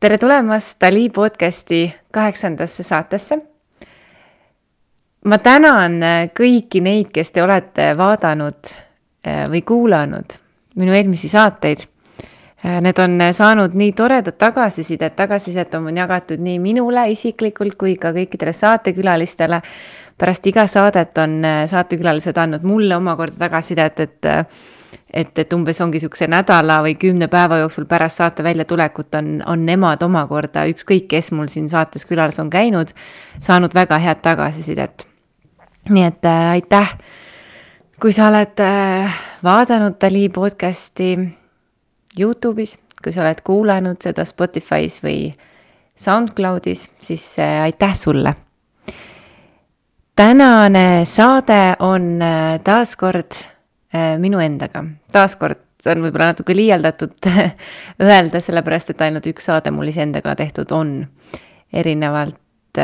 Tere tulemast Dali podcasti 8. saatesse. Ma tänan kõiki neid, kes te olete vaadanud või kuulanud minu eelmisi saateid. Need on saanud nii toredat tagasisidet on jagatud nii minule isiklikult kui ka kõikidele saatekülalistele. Pärast iga saadet on saatekülalised andnud mulle omakorda tagasisidet, et umbes ongi sükse nädala või 10 päeva jooksul pärast saate välja tulekut on nemad omakorda, ükskõik kes mul siin saates külas on käinud, saanud väga head tagasisidet. Nii et aitäh, kui sa oled vaadanud Dali podcasti YouTube'is, kui sa oled kuulanud seda Spotify's või SoundCloud'is, siis aitäh sulle. Tänane saade on taaskord minu endaga. Taaskord, see on võib-olla natuke liialdatud öelda, sellepärast, et ainult üks saade mul isendaga tehtud on. Erinevalt,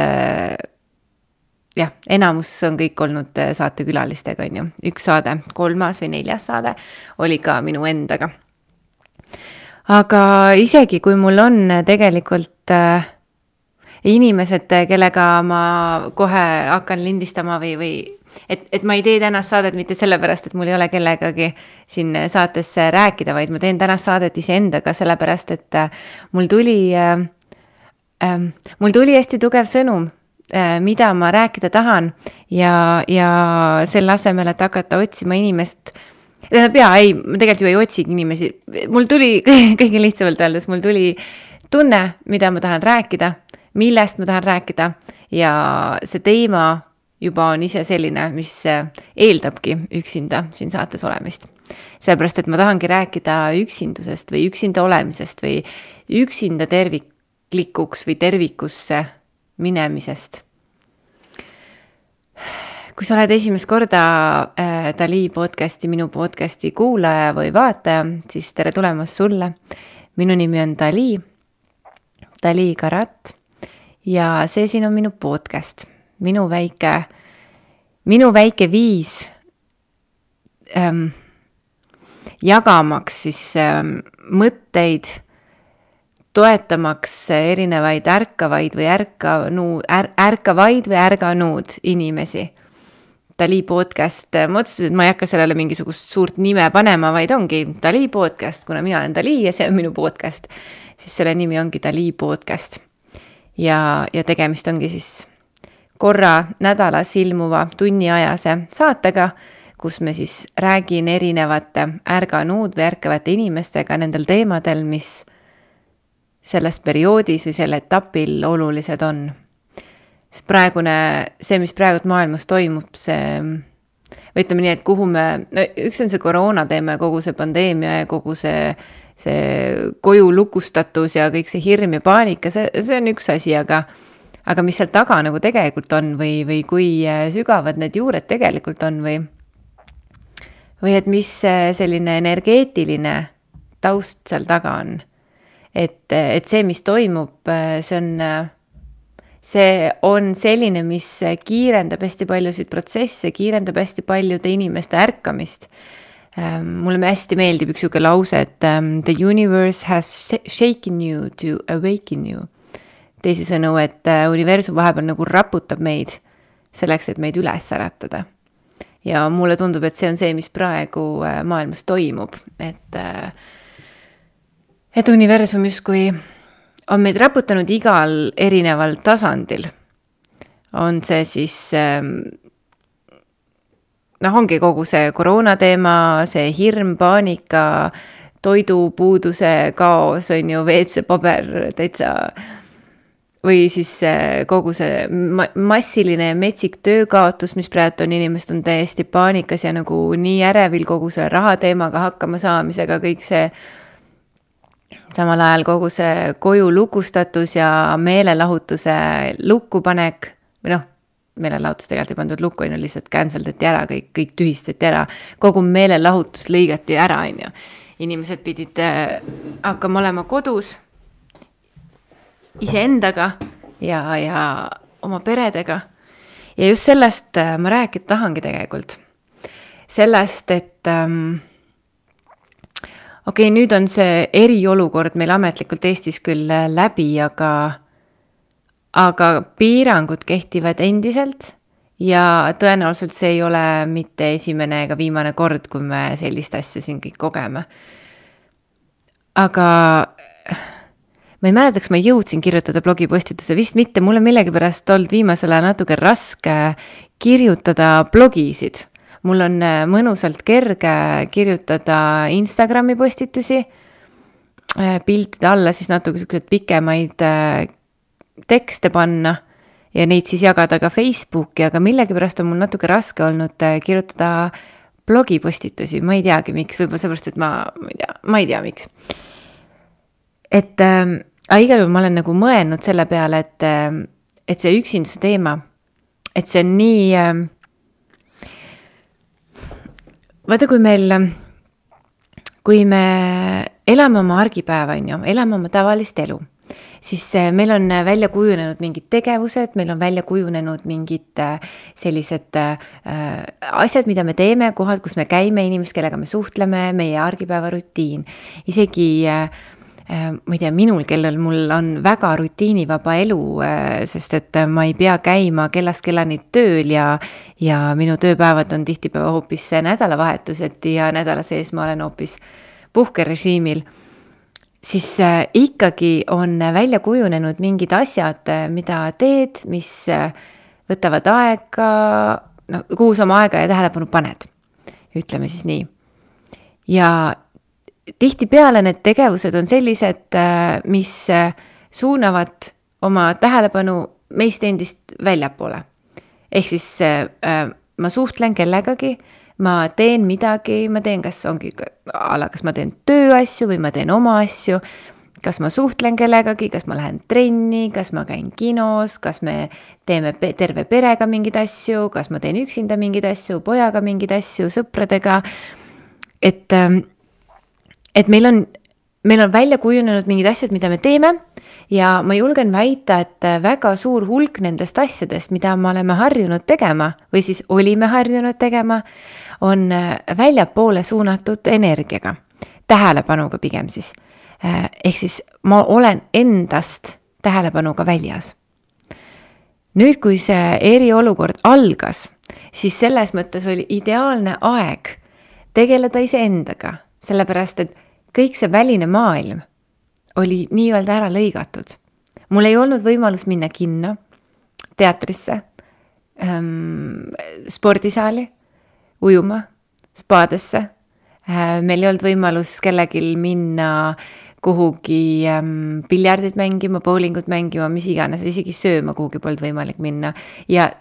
enamus on kõik olnud saatekülalistega, on ju. Üks saade, 3. või 4. saade oli ka minu endaga. Aga isegi kui mul on tegelikult inimesed, kellega ma kohe hakkan lindistama või et ma ei tee tänast saadet mitte sellepärast, et mul ei ole kellegagi siin saates rääkida, vaid ma teen tänast saadet iseendaga sellepärast, et mul tuli hästi tugev sõnum, mida ma rääkida tahan ja selle asemel, et hakata otsima inimest, ma tegelikult ju ei otsigi inimesi, mul tuli kõige lihtsamalt öeldes, mul tuli tunne, mida ma tahan rääkida, millest ma tahan rääkida ja see teema juba on ise selline, mis eeldabki üksinda siin saates olemist. Sellepärast, et ma tahangi rääkida üksindusest või üksinda olemisest või üksinda terviklikuks või tervikusse minemisest. Kui sa oled esimest korda Dali podcasti, minu podcasti kuulaja või vaataja, siis tere tulemast sulle. Minu nimi on Dali Karat ja see siin on minu podcast. Minu väike viis jagamaks siis mõtteid, toetamaks erinevaid ärkavaid või ärganud inimesi. Dali podcast, ma otsustasin, et ma ei hakka sellele mingisugust suurt nime panema, vaid ongi Dali podcast, kuna mina olen Dali ja see on minu podcast, siis selle nimi ongi Dali podcast. Ja tegemist ongi siis korra nädalas ilmuva tunniajase saatega, kus me siis räägin erinevate ärganud või ärkavate inimestega nendel teemadel, mis selles perioodis või selle etapil olulised on. See, mis praegu maailmas toimub, või ütleme nii, et üks on see koroona teema ja kogu see pandeemia ja kogu see koju lukustatus ja kõik see hirm ja paanika, see on üks asi, aga mis seal taga nagu tegelikult on või kui sügavad need juured tegelikult on või et mis selline energeetiline taust seal taga on. Et see, mis toimub, see on selline, mis kiirendab hästi paljusid protsesse, kiirendab hästi paljude inimeste ärkamist. Mulle hästi meeldib üks siuke lause, et the universe has shaken you to awaken you. Teisisõnu, et universum vahepeal nagu raputab meid selleks, et meid üles äratada. Ja mulle tundub, et see on see, mis praegu maailmas toimub. Et universum justkui on meid raputanud igal erineval tasandil. On see siis, ongi kogu see koroona teema, see hirm, paanika, toidupuuduse kaos, on ju WC paber täitsa või siis kogu see massiline metsik töökaotus, mis praegu on inimesed on täiesti paanikas ja nagu nii ärevil kogu selle rahateemaga hakkama saamisega, kõik see samal ajal kogu see koju lukustatus ja meelelahutuse lukkupanek, või meelelahutus tegelikult ei pandud lukku, lihtsalt canceldati ära, kõik tühistati ära, kogu meelelahutus lõigati ära, on ju. Inimesed pidid hakkama olema kodus, iseendaga ja oma peredega. Ja just sellest ma tahangi tegelikult. Sellest, et Okei, nüüd on see eriolukord meil ametlikult Eestis küll läbi, aga piirangud kehtivad endiselt ja tõenäoliselt see ei ole mitte esimene ega viimane kord, kui me sellist asja siin kõik kogeme. Aga ma ei mäleta, kas ma jõudsin kirjutada blogipostituse, vist mitte, mul on millegipärast olnud viimasel ajal natuke raske kirjutada blogisid. Mul on mõnusalt kerge kirjutada Instagrami postitusi, piltide alla siis natuke pikemaid tekste panna ja neid siis jagada ka Facebooki, aga millegipärast on mul natuke raske olnud kirjutada blogipostitusi, ma ei teagi miks, võib-olla seepärast, et ma ei tea miks. Et igal juhul ma olen nagu mõelnud selle peale, et see üksinduse teema, et see on nii, vaata kui me elame oma argipäeva, elame oma tavalist elu, siis meil on välja kujunenud mingid tegevused, meil on välja kujunenud mingid sellised asjad, mida me teeme, kohad, kus me käime, inimesed, kellega me suhtleme, meie argipäeva rutiin. Isegi ma ei tea, kellel mul on väga rutiinivaba elu, sest et ma ei pea käima kellast kellani tööl ja minu tööpäevad on tihtipäeva hoopis nädalavahetused ja nädala sees ma olen hoopis puhkerežiimil, siis ikkagi on välja kujunenud mingid asjad, mida teed, mis võtavad aega, kuhu sa oma aega ja tähelepanu paned, ütleme siis nii. Ja tihtipeale need tegevused on sellised, mis suunavad oma tähelepanu meist endist väljapoole. Ehk siis ma suhtlen kellegagi, ma teen midagi, ma teen kas ma teen tööasju või ma teen oma asju, kas ma suhtlen kellegagi, kas ma lähen trenni, kas ma käin kinos, kas me teeme terve perega mingeid asju, kas ma teen üksinda mingeid asju, pojaga mingeid asju, sõpradega, et meil on välja kujunenud mingid asjad, mida me teeme ja ma julgen väita, et väga suur hulk nendest asjadest, mida me oleme harjunud tegema või siis olime harjunud tegema, on väljapoole suunatud energiaga, tähelepanuga pigem siis. Ehk siis ma olen endast tähelepanuga väljas. Nüüd, kui see eriolukord algas, siis selles mõttes oli ideaalne aeg tegeleda iseendaga, sellepärast, et kõik see väline maailm oli nii-öelda ära lõigatud. Mul ei olnud võimalus minna kinno, teatrisse, spordisaali, ujuma, spaadesse. Meil ei olnud võimalus kellelgi minna kuhugi piljardit mängima, bowlingut mängima, mis iganes, isegi sööma kuhugi polnud võimalik minna. Ja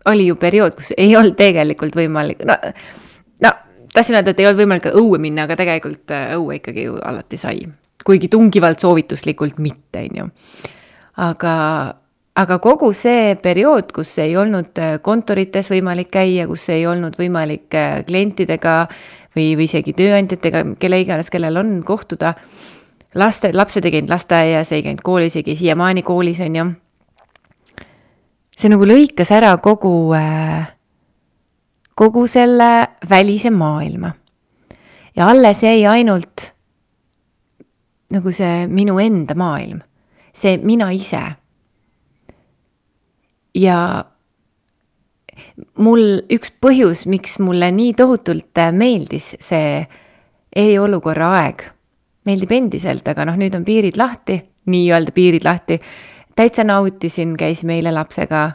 oli ju periood, kus ei olnud tegelikult võimalik, tahtsin öelda, et ei olnud võimalik õue minna, aga tegelikult õue ikkagi ju alati sai. Kuigi tungivalt soovituslikult mitte, Aga kogu see periood, kus ei olnud kontorites võimalik käia, kus ei olnud võimalik klientidega või isegi tööandjatega, kelle iganes, kellel on kohtuda, lapsed ei käinud lasteaias, ei käinud koolis, ei käi siiamaani koolis, See nagu lõikas ära kogu selle välise maailma. Ja alles jäi ainult nagu see minu enda maailm, see mina ise. Ja mul üks põhjus, miks mulle nii tohutult meeldis see eriolukorra aeg, meeldib endiselt, aga nüüd on piirid lahti, nii-öelda piirid lahti, täitsa nautisin, käisime eile lapsega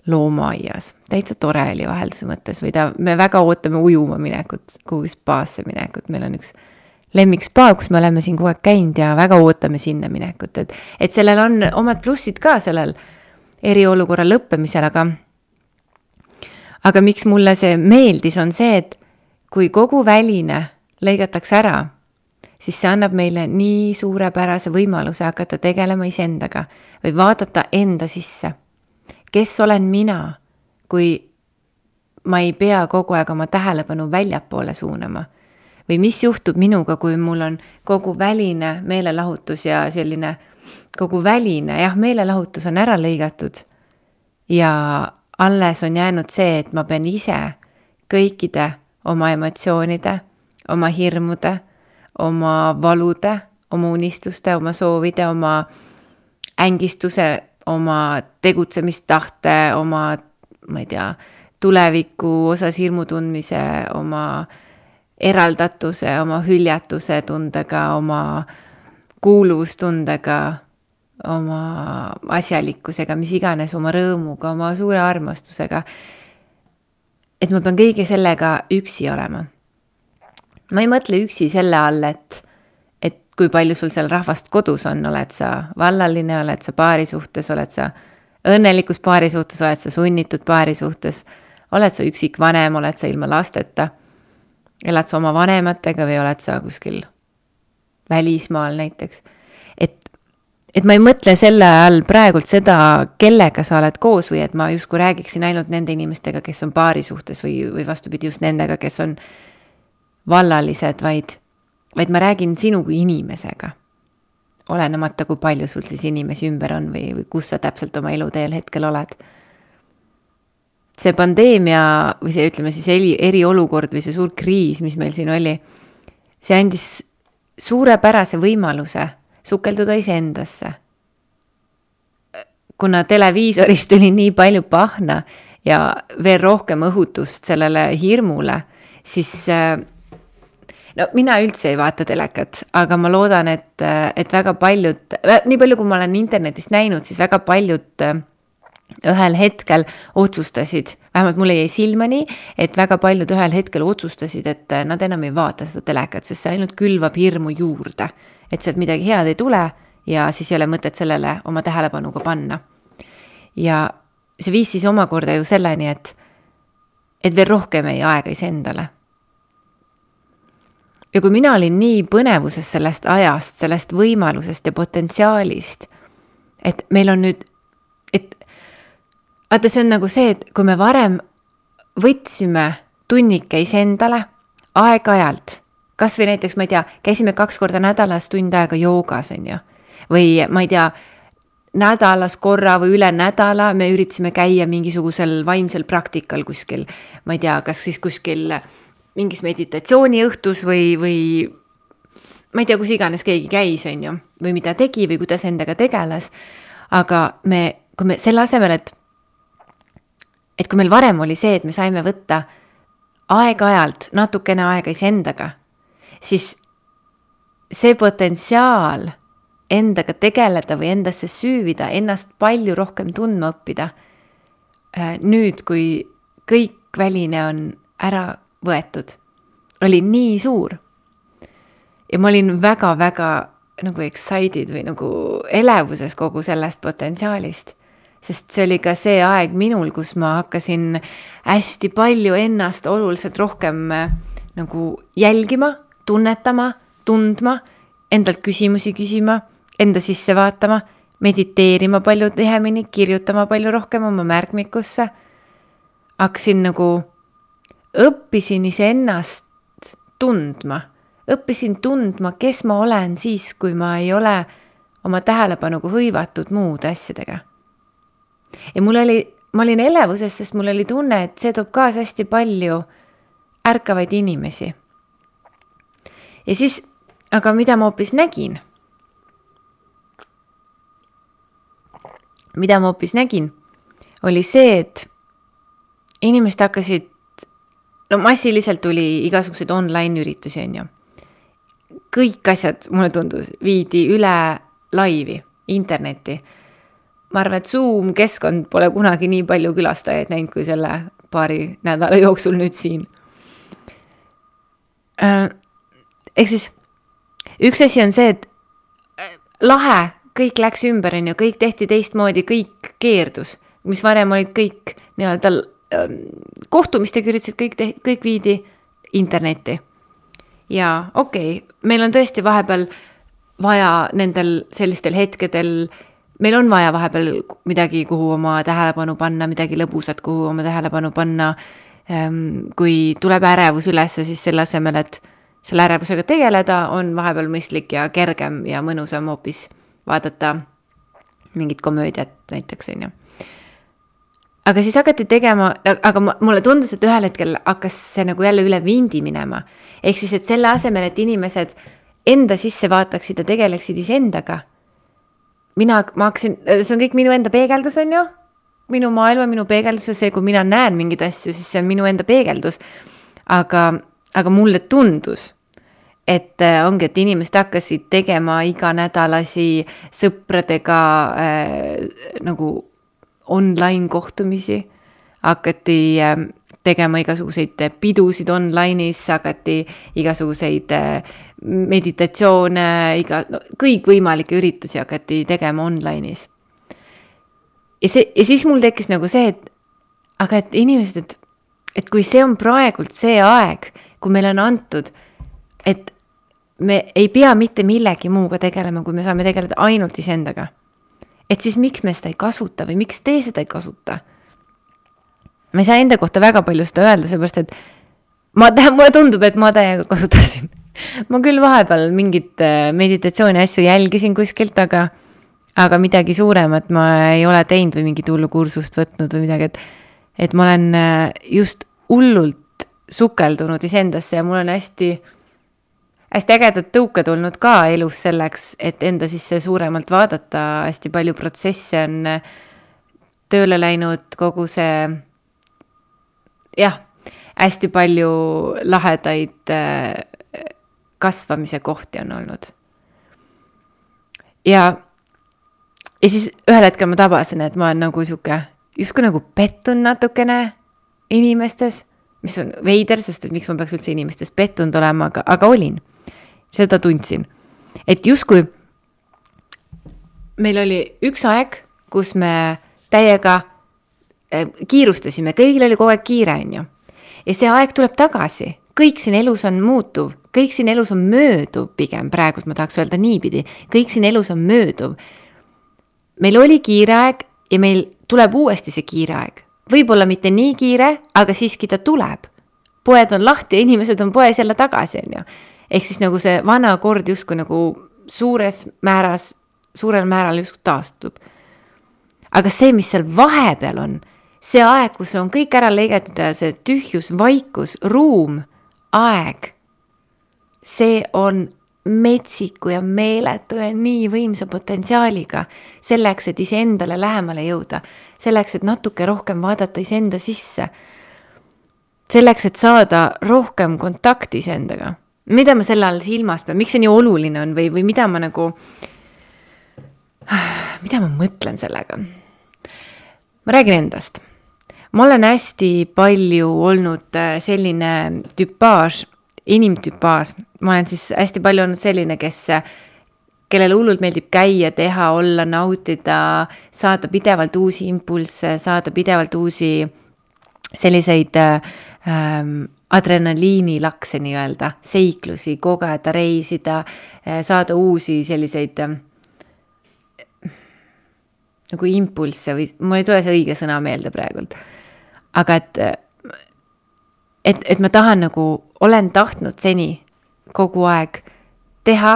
loomaaias. Täitsa tore oli vahelduse mõttes või me väga ootame ujuma minekut, kuhu spaasse minekut. Meil on üks lemmik spa, kus me oleme siin kogu aeg käinud ja väga ootame sinna minekut. Et sellel on omad plussid ka sellel eriolukorra lõppemisel, aga miks mulle see meeldis on see, et kui kogu väline lõigatakse ära, siis see annab meile nii suurepärase võimaluse hakata tegelema iseendaga või vaadata enda sisse. Kes olen mina, kui ma ei pea kogu aeg oma tähelepanu väljapoole suunama? Või mis juhtub minuga, kui mul on kogu väline meelelahutus ja selline kogu väline, meelelahutus on ära lõigatud ja alles on jäänud see, et ma pean ise kõikide oma emotsioonide, oma hirmude, oma valude, oma unistuste, oma soovide, oma ängistuse, oma tegutsemistahte, oma, ma ei tea, tuleviku osas hirmu tundmise, oma eraldatuse, oma hüljatuse tundega, oma kuuluvustundega, oma asjalikkusega, mis iganes, oma rõõmuga, oma suure armastusega. Et ma pean kõige sellega üksi olema. Ma ei mõtle üksi selle all, et kui palju sul seal rahvast kodus on, oled sa vallaline, oled sa paari suhtes, oled sa õnnelikus paari suhtes, oled sa sunnitud paari suhtes, oled sa üksik vanem, oled sa ilma lasteta, elad sa oma vanematega või oled sa kuskil välismaal näiteks. Et ma ei mõtle selle all praegult seda, kellega sa oled koos või et ma justkui räägiksin ainult nende inimestega, kes on paari suhtes või vastupidi just nendega, kes on vallalised, vaid ma räägin sinu kui inimesega. Olenemata, kui palju sul siis inimesi ümber on või kus sa täpselt oma eluteel hetkel oled. See pandeemia või see, ütleme siis eriolukord või see suur kriis, mis meil siin oli, see andis suurepärase võimaluse sukelduda iseendasse. Kuna televiisorist tuli nii palju pahna ja veel rohkem õhutust sellele hirmule, siis no mina üldse ei vaata telekat, aga ma loodan, et väga paljud, nii palju kui ma olen internetist näinud, siis väga paljud ühel hetkel otsustasid, vähemalt mulle jäi silmani, et väga paljud ühel hetkel otsustasid, et nad enam ei vaata seda telekat, sest see ainult külvab hirmu juurde. Et sealt midagi head ei tule ja siis ei ole mõtet sellele oma tähelepanuga panna. Ja see viis siis omakorda ju selleni, et veel rohkem ei aega iseendale. Ja kui mina olin nii põnevuses sellest ajast, sellest võimalusest ja potentsiaalist, et meil on nüüd, vaata see on nagu see, et kui me varem võtsime tunnike iseendale aeg-ajalt, kas või näiteks, ma ei tea, käisime 2 korda nädalas tund aega joogas, on ju. Või ma ei tea, nädalas korra või üle nädala me üritasime käia mingisugusel vaimsel praktikal kuskil. Ma ei tea, kas siis kuskil mingis meditatsiooniõhtus või ma ei tea, kus iganes keegi käis, on ju. Või mida tegi või kuidas endaga tegeles. Aga kui me selle asemel, et kui meil varem oli see, et me saime võtta aeg-ajalt natukene aega iseendaga, siis see potentsiaal endaga tegeleda või endasse süüvida, ennast palju rohkem tundma õppida. Nüüd, kui kõik väline on ära võetud, oli nii suur. Ja ma olin väga-väga nagu excited või nagu elevuses kogu sellest potentsiaalist. Sest see oli ka see aeg minul, kus ma hakkasin hästi palju ennast oluliselt rohkem nagu jälgima, tunnetama, tundma, endalt küsimusi küsima, enda sisse vaatama, mediteerima palju tihemini, kirjutama palju rohkem oma märkmikusse. Hakkasin nagu, õppisin iseennast tundma, õppisin tundma, kes ma olen siis, kui ma ei ole oma tähelepanuga hõivatud muude asjadega. Ja ma olin elevuses, sest mul oli tunne, et see toob kaasa hästi palju ärkavaid inimesi. Ja siis, aga mida ma hoopis nägin? Mida ma hoopis nägin, oli see, et inimesed hakkasid, massiliselt tuli igasuguseid online üritusi, on ju. Kõik asjad, mulle tundus, viidi üle laivi, internetti. Ma arvan, et Zoom keskkond pole kunagi nii palju külastajaid näinud kui selle paari nädala jooksul nüüd siin. Ehk siis, üks asi on see, et lahe, kõik läks ümber, on ju, kõik tehti teistmoodi, kõik keerdus, mis varem olid kõik nii-öelda kohtumistega üritasid, kõik viidi internetti. Ja okei, meil on tõesti vahepeal vaja nendel sellistel hetkedel, meil on vaja vahepeal midagi, kuhu oma tähelepanu panna, midagi lõbusat, kuhu oma tähelepanu panna. Kui tuleb ärevus üles, siis selle asemel, et selle ärevusega tegeleda, on vahepeal mõistlik ja kergem ja mõnusam hoopis vaadata mingit komöödiat näiteks, on ju. Aga siis hakati tegema, aga mulle tundus, et ühel hetkel hakkas see nagu jälle üle vindi minema. Ehk siis, et selle asemel, et inimesed enda sisse vaataksid ja tegeleksid iseendaga. Ma hakkasin, see on kõik minu enda peegeldus, on ju? Minu maailma, minu peegeldus ja see, kui mina näen mingid asju, siis see on minu enda peegeldus. Aga mulle tundus, et ongi, et inimesed hakkasid tegema iganädalasi sõpradega nagu online kohtumisi, hakati tegema igasuguseid pidusid online'is, hakati igasuguseid meditatsioone, kõikvõimalikke üritusi hakati tegema online'is. Ja siis mul tekkis nagu see, et inimesed, et kui see on praegult see aeg, kui meil on antud, et me ei pea mitte millegi muuga tegelema, kui me saame tegeleda ainult iseendaga. Et siis miks me seda ei kasuta või miks te seda ei kasuta? Ma ei saa enda kohta väga palju seda öelda, seepärast, et mulle tundub, et ma täiega kasutasin. Ma küll vahepeal mingit meditatsiooni asju jälgisin kuskilt, aga midagi suuremat ma ei ole teinud või mingit hullu kursust võtnud või midagi, et ma olen just hullult sukeldunud iseendasse ja mul on hästi ägedad tõuke tulnud ka elus selleks, et enda sisse suuremalt vaadata, hästi palju protsesse on tööle läinud, kogu see, hästi palju lahedaid kasvamise kohti on olnud. Ja siis ühel hetkel ma tabasin, et ma olen nagu justkui nagu pettun natukene inimestes, mis on veider, sest et miks ma peaks üldse inimestes pettunud olema, aga olin. Seda tundsin. Et justkui meil oli üks aeg, kus me täiega kiirustasime, kõigil oli kogu aeg kiire, on ju. Ja see aeg tuleb tagasi. Kõik siin elus on muutuv, kõik siin elus on mööduv pigem, praegult ma tahaks öelda niipidi, kõik siin elus on mööduv. Meil oli kiire aeg ja meil tuleb uuesti see kiire aeg. Võib-olla mitte nii kiire, aga siiski ta tuleb. Poed on lahti ja inimesed on poes jälle tagasi, on ju. Ehk siis nagu see vana kord justkui nagu suurel määral justkui taastub. Aga see, mis seal vahepeal on, see aeg, kus on kõik ära lõigatud ja see tühjus, vaikus, ruum, aeg, see on metsiku ja meeletu ja nii võimsa potentsiaaliga selleks, et iseendale lähemale jõuda, selleks, et natuke rohkem vaadata iseenda sisse, selleks, et saada rohkem kontakti iseendaga. Mida ma selle all silmas pean, miks see nii oluline on või mida ma mõtlen sellega? Ma räägin endast. Ma olen hästi palju olnud selline tüpaaž, inimtüpaaž. Ma olen siis hästi palju olnud selline, kellele hullult meeldib käia, teha, olla, nautida, saada pidevalt uusi impulsse, saada pidevalt uusi selliseid adrenaliinilakse nii-öelda, seiklusi, kogeda, reisida, saada uusi selliseid nagu impulsse või mul ei tule see õige sõna meelde praegult. Aga et ma tahan nagu, olen tahtnud seni kogu aeg teha,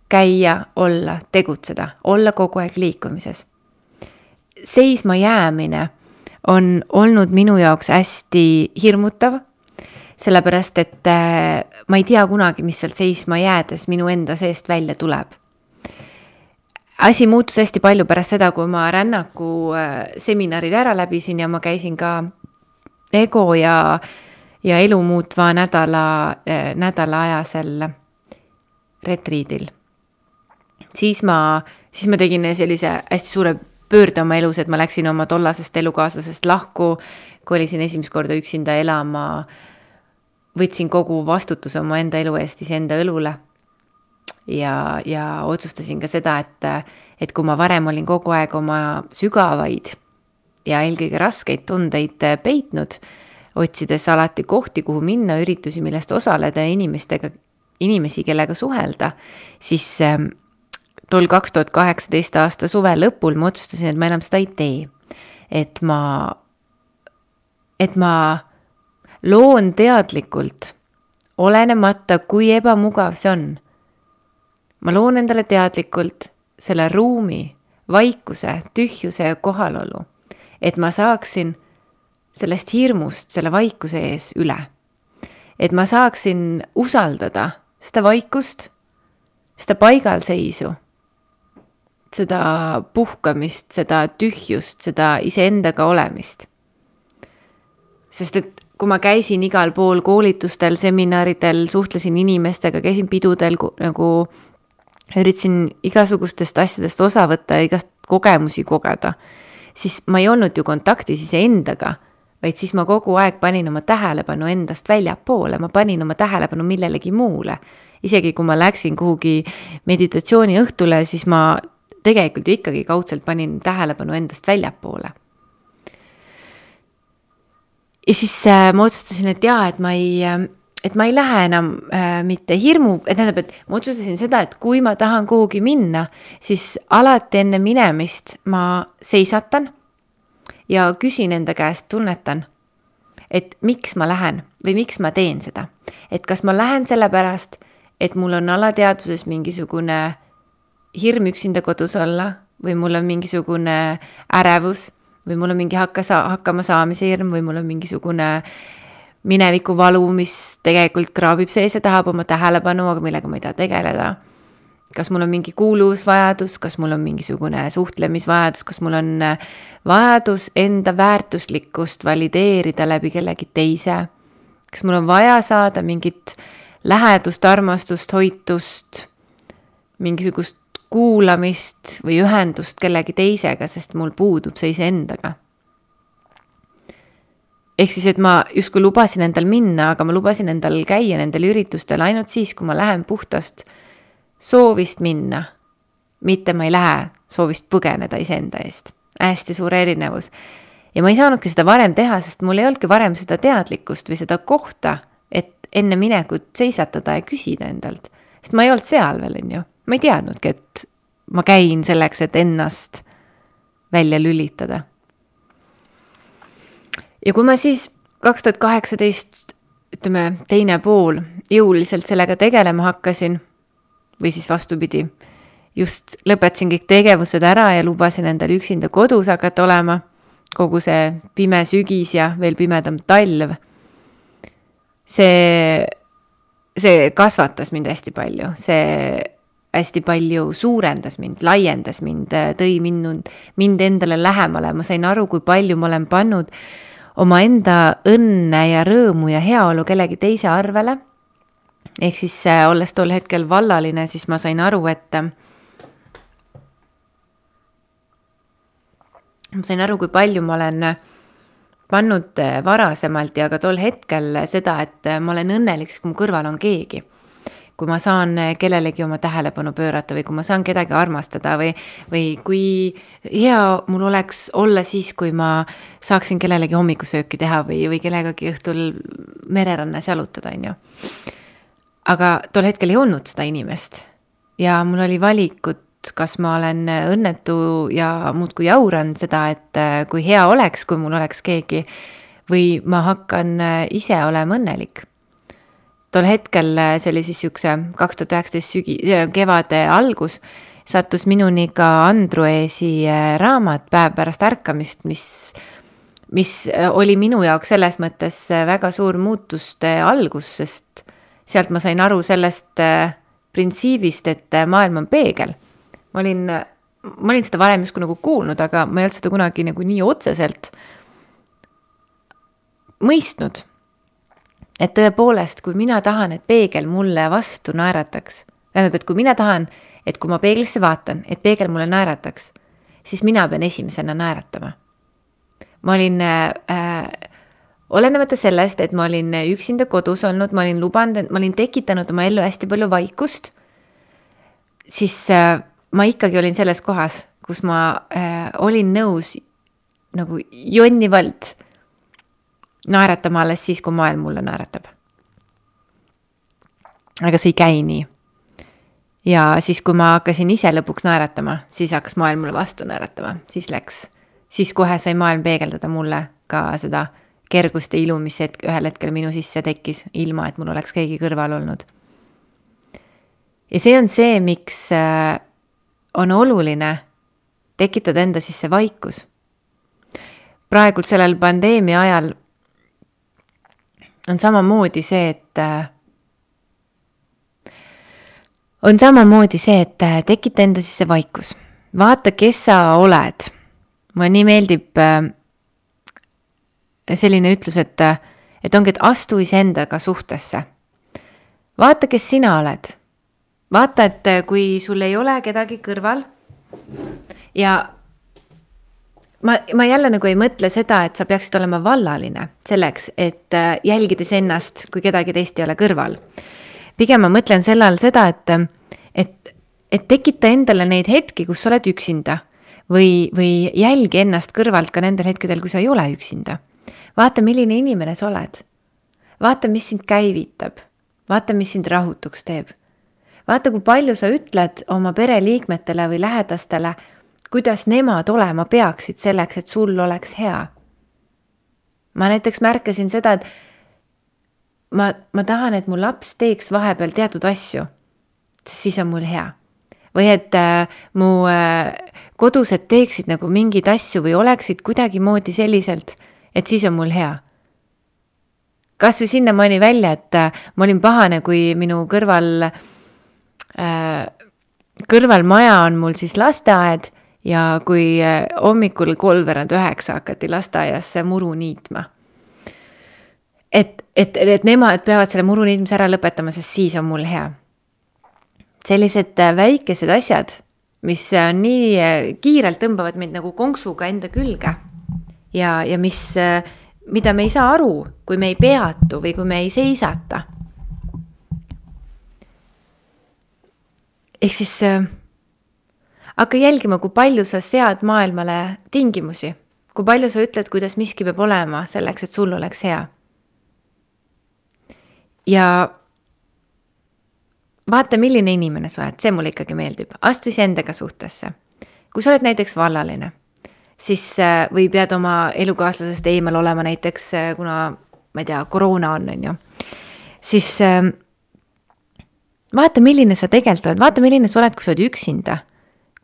käia, olla, tegutseda, olla kogu aeg liikumises. Seisma jäämine on olnud minu jaoks hästi hirmutav, sellepärast, et ma ei tea kunagi, mis sealt seisma jäädes minu enda seest välja tuleb. Asi muutus hästi palju pärast seda, kui ma rännaku seminarid ära läbisin ja ma käisin ka ego ja elu muutva nädala ajasel retriidil. Siis ma tegin sellise hästi suure pöörde oma elus, et ma läksin oma tollasest elukaaslasest lahku, kolisin esimest korda üksinda elama, võtsin kogu vastutuse oma enda elu eest iseenda õlule ja otsustasin ka seda, et kui ma varem olin kogu aeg oma sügavaid ja eelkõige raskeid tundeid peitnud, otsides alati kohti, kuhu minna, üritusi, millest osaleda inimesi, kellega suhelda, siis tol 2018 aasta suve lõpul ma otsustasin, et ma enam seda ei tee. Et ma loon teadlikult, olenemata kui ebamugav see on. Ma loon endale teadlikult selle ruumi, vaikuse, tühjuse ja kohalolu, et ma saaksin sellest hirmust selle vaikuse ees üle. Et ma saaksin usaldada seda vaikust seda paigalseisu, seda puhkamist, seda tühjust, seda iseendaga olemist. Sest et kui ma käisin igal pool koolitustel, seminaridel, suhtlesin inimestega, käisin pidudel, nagu üritasin igasugustest asjadest osa võtta ja igast kogemusi kogeda, siis ma ei olnud ju kontaktis iseendaga, vaid siis ma kogu aeg panin oma tähelepanu endast väljapoole, ma panin oma tähelepanu millelegi muule. Isegi kui ma läksin kuhugi meditatsiooni õhtule, siis ma tegelikult ju ikkagi kaudselt panin tähelepanu endast väljapoole. Ja siis ma otsustasin, et et ma ei lähe enam mitte hirmu, et ma otsustasin seda, et kui ma tahan kuhugi minna, siis alati enne minemist ma seisatan ja küsin enda käest, tunnetan, et miks ma lähen või miks ma teen seda. Et kas ma lähen sellepärast, et mul on alateadvuses mingisugune hirm üksinda kodus olla või mul on mingisugune ärevus või mul on mingi hakkama saamise hirm või mul on mingisugune mineviku valu, mis tegelikult kraabib sees ja tahab oma tähelepanu, aga millega ma ei taha tegeleda. Kas mul on mingi kuuluvusvajadus, kas mul on mingisugune suhtlemisvajadus, kas mul on vajadus enda väärtuslikkust valideerida läbi kellegi teise, kas mul on vaja saada mingit lähedust, armastust, hoitust, mingisugust kuulamist või ühendust kellegi teisega, sest mul puudub see iseendaga. Ehk siis, et ma justkui lubasin endal minna, aga ma lubasin endal käia nendel üritustel ainult siis, kui ma lähen puhtast soovist minna, mitte ma ei lähe soovist põgeneda iseenda eest. Hästi suur erinevus. Ja ma ei saanudki seda varem teha, sest mul ei olnudki varem seda teadlikkust või seda kohta, et enne minekut seisatada ja küsida endalt. Sest ma ei olnud seal veel, on ju. Ma ei teadnudki, et ma käin selleks, et ennast välja lülitada. Ja kui ma siis 2018, teine pool, jõuliselt sellega tegelema hakkasin, või siis vastupidi, just lõpetasin kõik tegevused ära ja lubasin endale üksinda kodus hakata olema, kogu see pime sügis ja veel pimedam talv. See kasvatas mind hästi palju, see hästi palju suurendas mind, laiendas mind, tõi mind endale lähemale. Ma sain aru, kui palju ma olen pannud oma enda õnne ja rõõmu ja heaolu kellegi teise arvele. Ehk siis olles tol hetkel vallaline, siis ma sain aru, kui palju ma olen pannud varasemalt ja ka tol hetkel seda, et ma olen õnnelik, kui mu kõrval on keegi. Kui ma saan kellelegi oma tähelepanu pöörata või kui ma saan kedagi armastada või kui hea mul oleks olla siis, kui ma saaksin kellelegi hommikusööki teha või kellegagi õhtul mererannas jalutada, on ju. Aga tol hetkel ei olnud seda inimest ja mul oli valikut, kas ma olen õnnetu ja muudkui jauran seda, et kui hea oleks, kui mul oleks keegi või ma hakkan ise olema õnnelik. Tol hetkel, see oli siis siukse 2019 kevade algus, sattus minuni ka Andruesi raamat Päev pärast ärkamist, mis oli minu jaoks selles mõttes väga suur muutuste algus, sest sealt ma sain aru sellest printsiibist, et maailm on peegel. Ma olin seda varem justkui nagu kuulnud, aga ma ei olnud seda kunagi nagu nii otseselt mõistnud. Et tõepoolest, kui mina tahan, et peegel mulle vastu naerataks, tähendab, et kui mina tahan, et kui ma peeglisse vaatan, et peegel mulle naerataks, siis mina pean esimesena naeratama. Ma olin, olenemata sellest, et ma olin üksinda kodus olnud, ma olin tekitanud oma ellu hästi palju vaikust, siis ma ikkagi olin selles kohas, kus ma olin nõus nagu jonnivalt naeratama alles siis, kui maailm mulle naeratab. Aga see ei käi nii. Ja siis, kui ma hakkasin ise lõpuks naeratama, siis hakkas maailm mulle vastu naeratama. Siis kohe sai maailm peegeldada mulle ka seda kergust ja ilu, mis ühel hetkel minu sisse tekkis, ilma et mul oleks keegi kõrval olnud. Ja see on see, miks on oluline tekitada enda sisse vaikus. Praegult sellel pandeemia ajal on samamoodi see, et on samamoodi see, et tekita enda sisse vaikus. Vaata, kes sa oled. Mulle nii meeldib selline ütlus, et ongi, et astu iseendaga suhtesse. Vaata, kes sina oled. Vaata, et kui sul ei ole kedagi kõrval ja ma jälle nagu ei mõtle seda, et sa peaksid olema vallaline selleks, et jälgides ennast, kui kedagi teist ei ole kõrval. Pigem ma mõtlen selle all seda, et tekita endale neid hetki, kus sa oled üksinda või jälgi ennast kõrvalt ka nendel hetkedel, kui sa ei ole üksinda. Vaata, milline inimene sa oled. Vaata, mis sind käivitab. Vaata, mis sind rahutuks teeb. Vaata, kui palju sa ütled oma pereliikmetele või lähedastele, kuidas nemad olema peaksid selleks, et sul oleks hea. Ma näiteks märkasin seda, et ma tahan, et mu laps teeks vahepeal teatud asju, siis on mul hea. Või et mu kodused teeksid nagu mingeid asju või oleksid kuidagi moodi selliselt, et siis on mul hea. Kas või sinna mõni välja, et ma olin pahane, kui minu kõrval maja on mul siis lasteaed ja kui hommikul 8:30 hakati lasteaias muru niitma. Et nemad peavad selle muru niitmise ära lõpetama, sest siis on mul hea. Sellised väikesed asjad, mis nii kiirelt tõmbavad mind nagu konksuga enda külge ja mida me ei saa aru, kui me ei peatu või kui me ei seisata. Ehk siis hakka jälgima, kui palju sa sead maailmale tingimusi, kui palju sa ütled, kuidas miski peab olema selleks, et sul oleks hea. Ja vaata, milline inimene sa oled, see mulle ikkagi meeldib. Astu iseendaga suhtesse. Kui sa oled näiteks vallaline, siis või pead oma elukaaslasest eemal olema näiteks, kuna, ma ei tea, koroona on ju, siis vaata, milline sa tegelikult oled, vaata, milline sa oled, kui sa oled üksinda.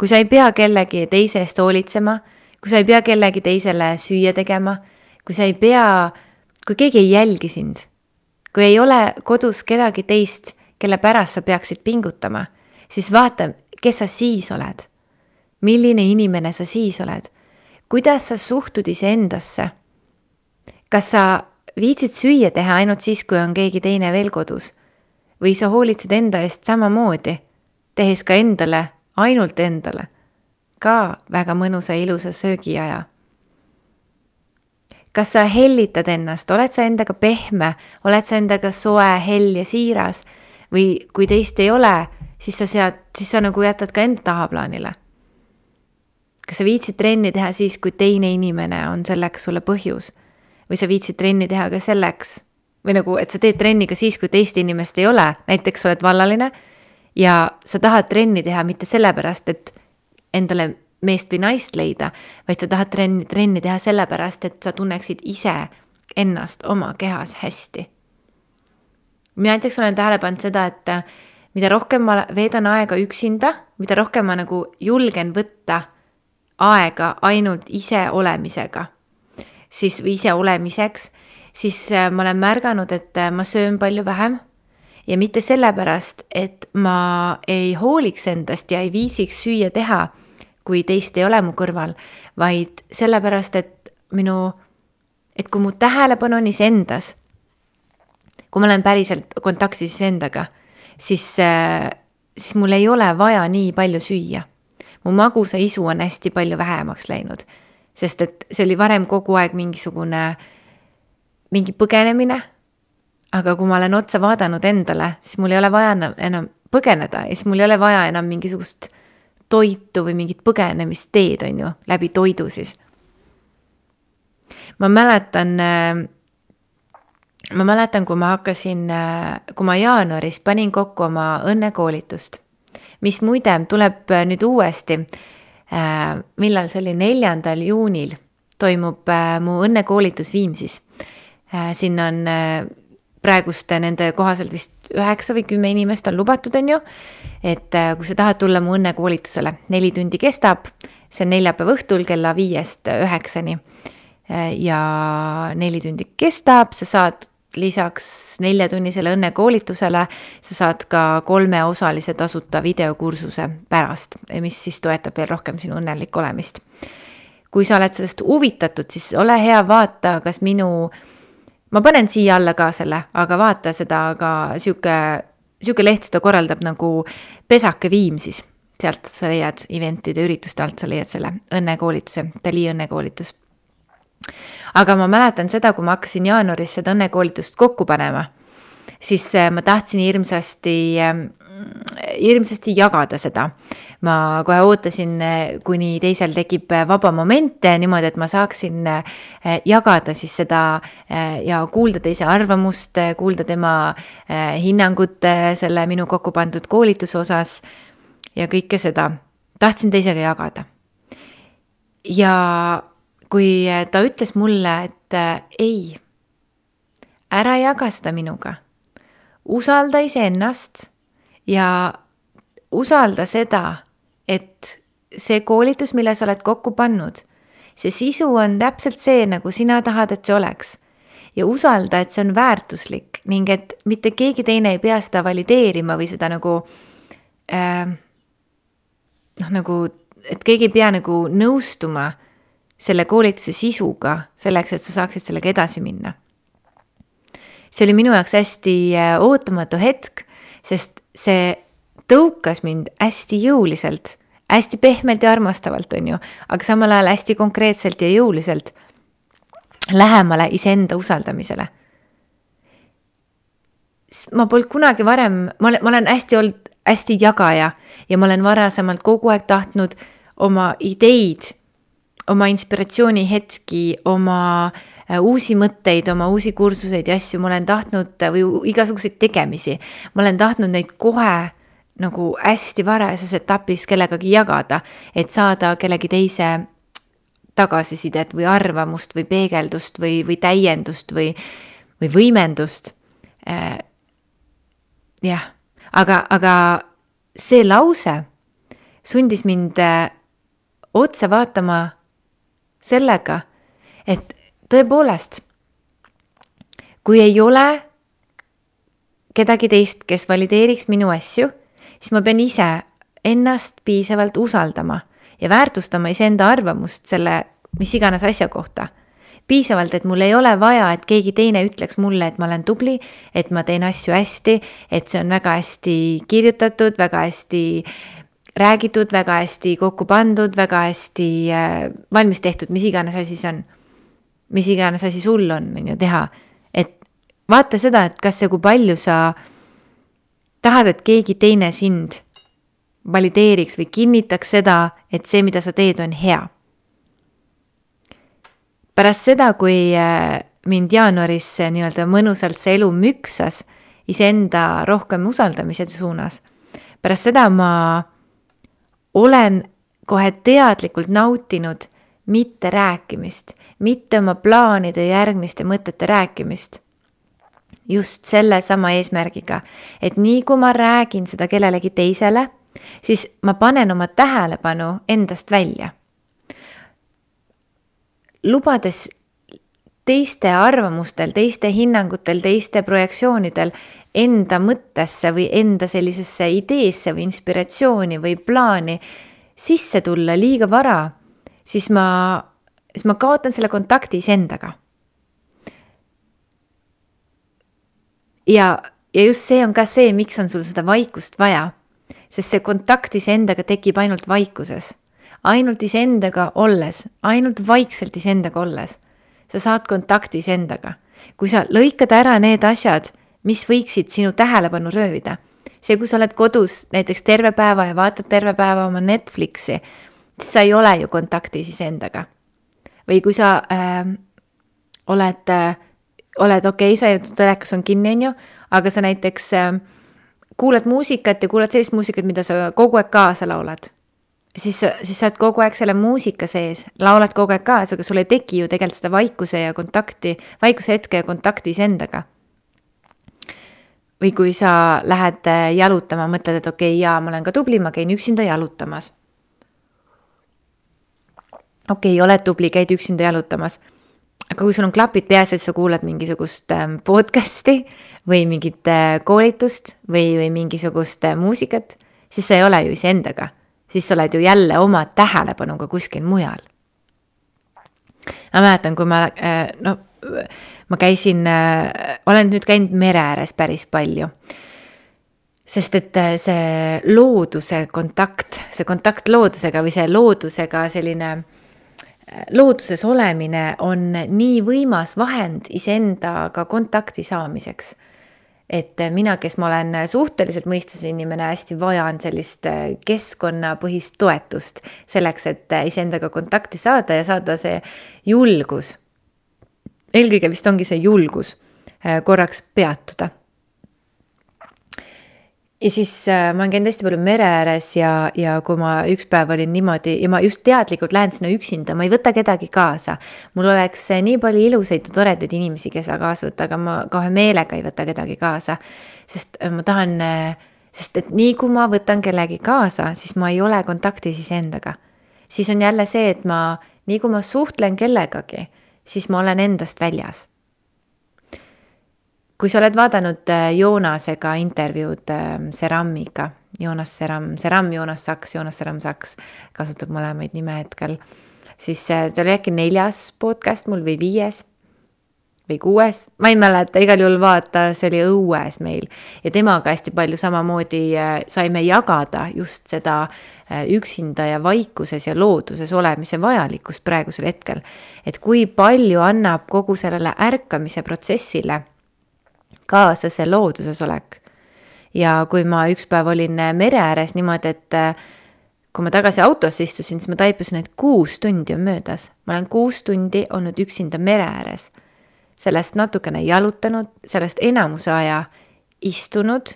Kui sa ei pea kellegi teise eest hoolitsema, kui sa ei pea kellegi teisele süüa tegema, kui sa ei pea, kui keegi ei jälgi sind, kui ei ole kodus kedagi teist, kelle pärast sa peaksid pingutama, siis vaata, kes sa siis oled. Milline inimene sa siis oled? Kuidas sa suhtud iseendasse? Kas sa viitsid süüa teha ainult siis, kui on keegi teine veel kodus? Või sa hoolitsed enda eest samamoodi, tehes ka endale, ainult endale, ka väga mõnusa ja ilusa söögiaja? Kas sa hellitad ennast? Oled sa endaga pehme? Oled sa endaga soe, hell ja siiras? Või kui teist ei ole, siis sa nagu jätad ka enda tahaplaanile. Kas sa viitsid trenni teha siis, kui teine inimene on selleks sulle põhjus? Või sa viitsid trenni teha ka selleks? Või nagu, et sa teed trenni ka siis, kui teist inimest ei ole? Näiteks oled vallaline ja sa tahad trenni teha mitte sellepärast, et endale meest või naist leida, vaid sa tahad trenni teha sellepärast, et sa tunneksid ise ennast oma kehas hästi. Mina näiteks olen tähele pannud seda, et mida rohkem ma veedan aega üksinda, mida rohkem ma nagu julgen võtta aega ainult ise olemisega, või ise olemiseks, siis ma olen märganud, et ma söön palju vähem ja mitte sellepärast, et ma ei hooliks endast ja ei viitsiks süüa teha, kui teist ei ole mu kõrval, vaid sellepärast, et kui mu tähelepanu on iseendas, kui ma olen päriselt kontaktis endaga, siis mul ei ole vaja nii palju süüa. Mu magusa isu on hästi palju vähemaks läinud, sest et see oli varem kogu aeg mingi põgenemine, aga kui ma olen otsa vaadanud endale, siis mul ei ole vaja enam põgeneda ja siis mul ei ole vaja enam mingisugust toitu või mingit põgenemisteed on ju, läbi toidu siis. Ma mäletan, kui ma jaanuaris panin kokku oma õnnekoolitust, mis muide tuleb nüüd uuesti, millal see oli 4. juunil, toimub mu õnnekoolitus Viimsis. Siin on praegust nende kohaselt vist 9 või 10 inimest on lubatud, on ju, et kui sa tahad tulla mu õnnekoolitusele, 4 tundi kestab, see on neljapäeva õhtul kella 5-9 ja 4 tundi kestab, sa saad lisaks 4-tunnisele õnnekoolitusele sa saad ka 3-osalise tasuta videokursuse pärast, mis siis toetab veel rohkem sinu õnnelik olemist. Kui sa oled sellest huvitatud, siis ole hea, vaata, kas ma panen siia alla ka selle, aga vaata seda ka siuke leht, seda korraldab nagu Pesake Viimsis. Sealt sa leiad eventide ürituste alt, sa leiad selle õnnekoolituse, Dali õnnekoolitus. Aga ma mäletan seda, kui ma hakkasin jaanuaris seda õnnekoolitust kokku panema, siis ma tahtsin hirmsasti jagada seda. Ma kohe ootasin, kuni teisel tekib vaba momente niimoodi, et ma saaksin jagada siis seda ja kuulda teise arvamust, kuulda tema hinnangut selle minu kokku pandud koolituse osas ja kõike seda. Tahtsin teisega jagada. Ja kui ta ütles mulle, et ei, ära jaga seda minuga, usalda iseennast ja usalda seda, et see koolitus, mille sa oled kokku pannud, see sisu on täpselt see, nagu sina tahad, et see oleks. Ja usalda, et see on väärtuslik ning et mitte keegi teine ei pea seda valideerima või seda et keegi ei pea nagu nõustuma selle koolituse sisuga selleks, et sa saaksid sellega edasi minna. See oli minu jaoks hästi ootamatu hetk, sest see tõukas mind hästi jõuliselt, hästi pehmelt ja armastavalt on ju, aga samal ajal hästi konkreetselt ja jõuliselt lähemale iseenda usaldamisele. Ma polnud kunagi varem, ma olen hästi jagaja ja ma olen varasemalt kogu aeg tahtnud oma ideid, oma inspiratsiooni hetki, oma uusi mõtteid, oma uusi kursuseid ja asju, ma olen tahtnud või igasuguseid tegemisi. Ma olen tahtnud neid kohe nagu hästi varases etapis kellegagi jagada, et saada kellegi teise tagasisidet või arvamust või peegeldust või täiendust või võimendust. Jah, aga see lause sundis mind otsa vaatama sellega, et tõepoolest, kui ei ole kedagi teist, kes valideeriks minu asju, siis ma pean ise ennast piisavalt usaldama ja väärtustama iseenda arvamust selle mis iganes asja kohta. Piisavalt, et mul ei ole vaja, et keegi teine ütleks mulle, et ma olen tubli, et ma teen asju hästi, et see on väga hästi kirjutatud, väga hästi räägitud, väga hästi kokku pandud, väga hästi valmis tehtud, mis iganes asi see on. Mis iganes asi sul on ju teha. Et vaata seda, et kas see kui palju sa tahad, et keegi teine sind valideeriks või kinnitaks seda, et see, mida sa teed, on hea. Pärast seda, kui mind jaanuaris nii-öelda mõnusalt see elu müksas iseenda rohkem usaldamise suunas, pärast seda ma olen kohe teadlikult nautinud mitte rääkimist, mitte oma plaanide järgmiste mõtete rääkimist. Just selle sama eesmärgiga, et nii kui ma räägin seda kellelegi teisele, siis ma panen oma tähelepanu endast välja. Lubades teiste arvamustel, teiste hinnangutel, teiste projektsioonidel enda mõttesse või enda sellisesse ideesse või inspiratsiooni või plaani sisse tulla liiga vara, siis ma kaotan selle kontakti iseendaga. Ja just see on ka see, miks on sul seda vaikust vaja, sest see kontakt iseendaga tekib ainult vaikuses, ainult iseendaga olles, ainult vaikselt iseendaga olles. Sa saad kontakti iseendaga. Kui sa lõikad ära need asjad, mis võiksid sinu tähelepanu röövida. See, kui sa oled kodus näiteks terve päeva ja vaatad terve päeva oma Netflixi, siis sa ei ole ju kontaktis iseendaga. Või kui sa oled okei, sa telekas on kinni, on ju, aga sa näiteks kuulad muusikat ja kuulad sellist muusikat, mida sa kogu aeg kaasa laulad. Siis sa oled kogu aeg selle muusika sees, laulad kogu aeg kaasa, aga sul ei teki ju tegelikult seda vaikuse hetke ja kontakti iseendaga. Või kui sa lähed jalutama, mõtled, et okei, ma olen ka tubli, ma käin üksinda jalutamas. Okei, oled tubli, käid üksinda jalutamas. aga kui sul on klapid peas, et sa kuulad mingisugust podcasti või mingit koolitust või mingisugust muusikat, siis sa ei ole ju iseendaga. Siis sa oled ju jälle oma tähelepanuga kuskil mujal. Ma mäletan, kui ma käisin, olen nüüd käinud mere ääres päris palju. Sest et see looduse kontakt, see kontakt loodusega või see loodusega selline looduses olemine on nii võimas vahend iseendaga kontakti saamiseks. Et mina, kes ma olen suhteliselt mõistuse inimene, hästi vajan sellist keskkonnapõhist toetust selleks, et iseendaga kontakti saada ja saada see julgus. Eelkõige vist ongi see julgus korraks peatuda. Ja siis ma olen käinud hästi palju mere ääres ja kui ma üks päev olin niimoodi ja ma just teadlikult lähen sinna üksinda, ma ei võta kedagi kaasa. Mul oleks nii palju ilusaid ja toredaid inimesi, kes kaasa võtta, aga ma kohe meelega ei võta kedagi kaasa. Sest ma tahan, sest et nii kui ma võtan kellegi kaasa, siis ma ei ole kontaktis iseendaga. Siis on jälle see, et nii kui ma suhtlen kellegagi, siis ma olen endast väljas. Kui sa oled vaadanud Joonasega intervjuud Seramiga, Joonas Seram Saks, kasutab mõlemaid nime hetkel, siis see oli äkki 4. podcast mul või 5. või 6. Ma ei mäleta, igal juhul vaata, see oli õues meil. Ja temaga hästi palju samamoodi saime jagada just seda üksinda ja vaikuses ja looduses olemise vajalikkust praegusel hetkel. Et kui palju annab kogu sellele ärkamise protsessile kaasa see looduses olek. Ja kui ma üks päev olin mere ääres niimoodi, et kui ma tagasi autosse istusin, siis ma taipasin, et 6 tundi on möödas. Ma olen 6 tundi olnud üksinda mere ääres. Sellest natukene jalutanud, sellest enamuse aja istunud,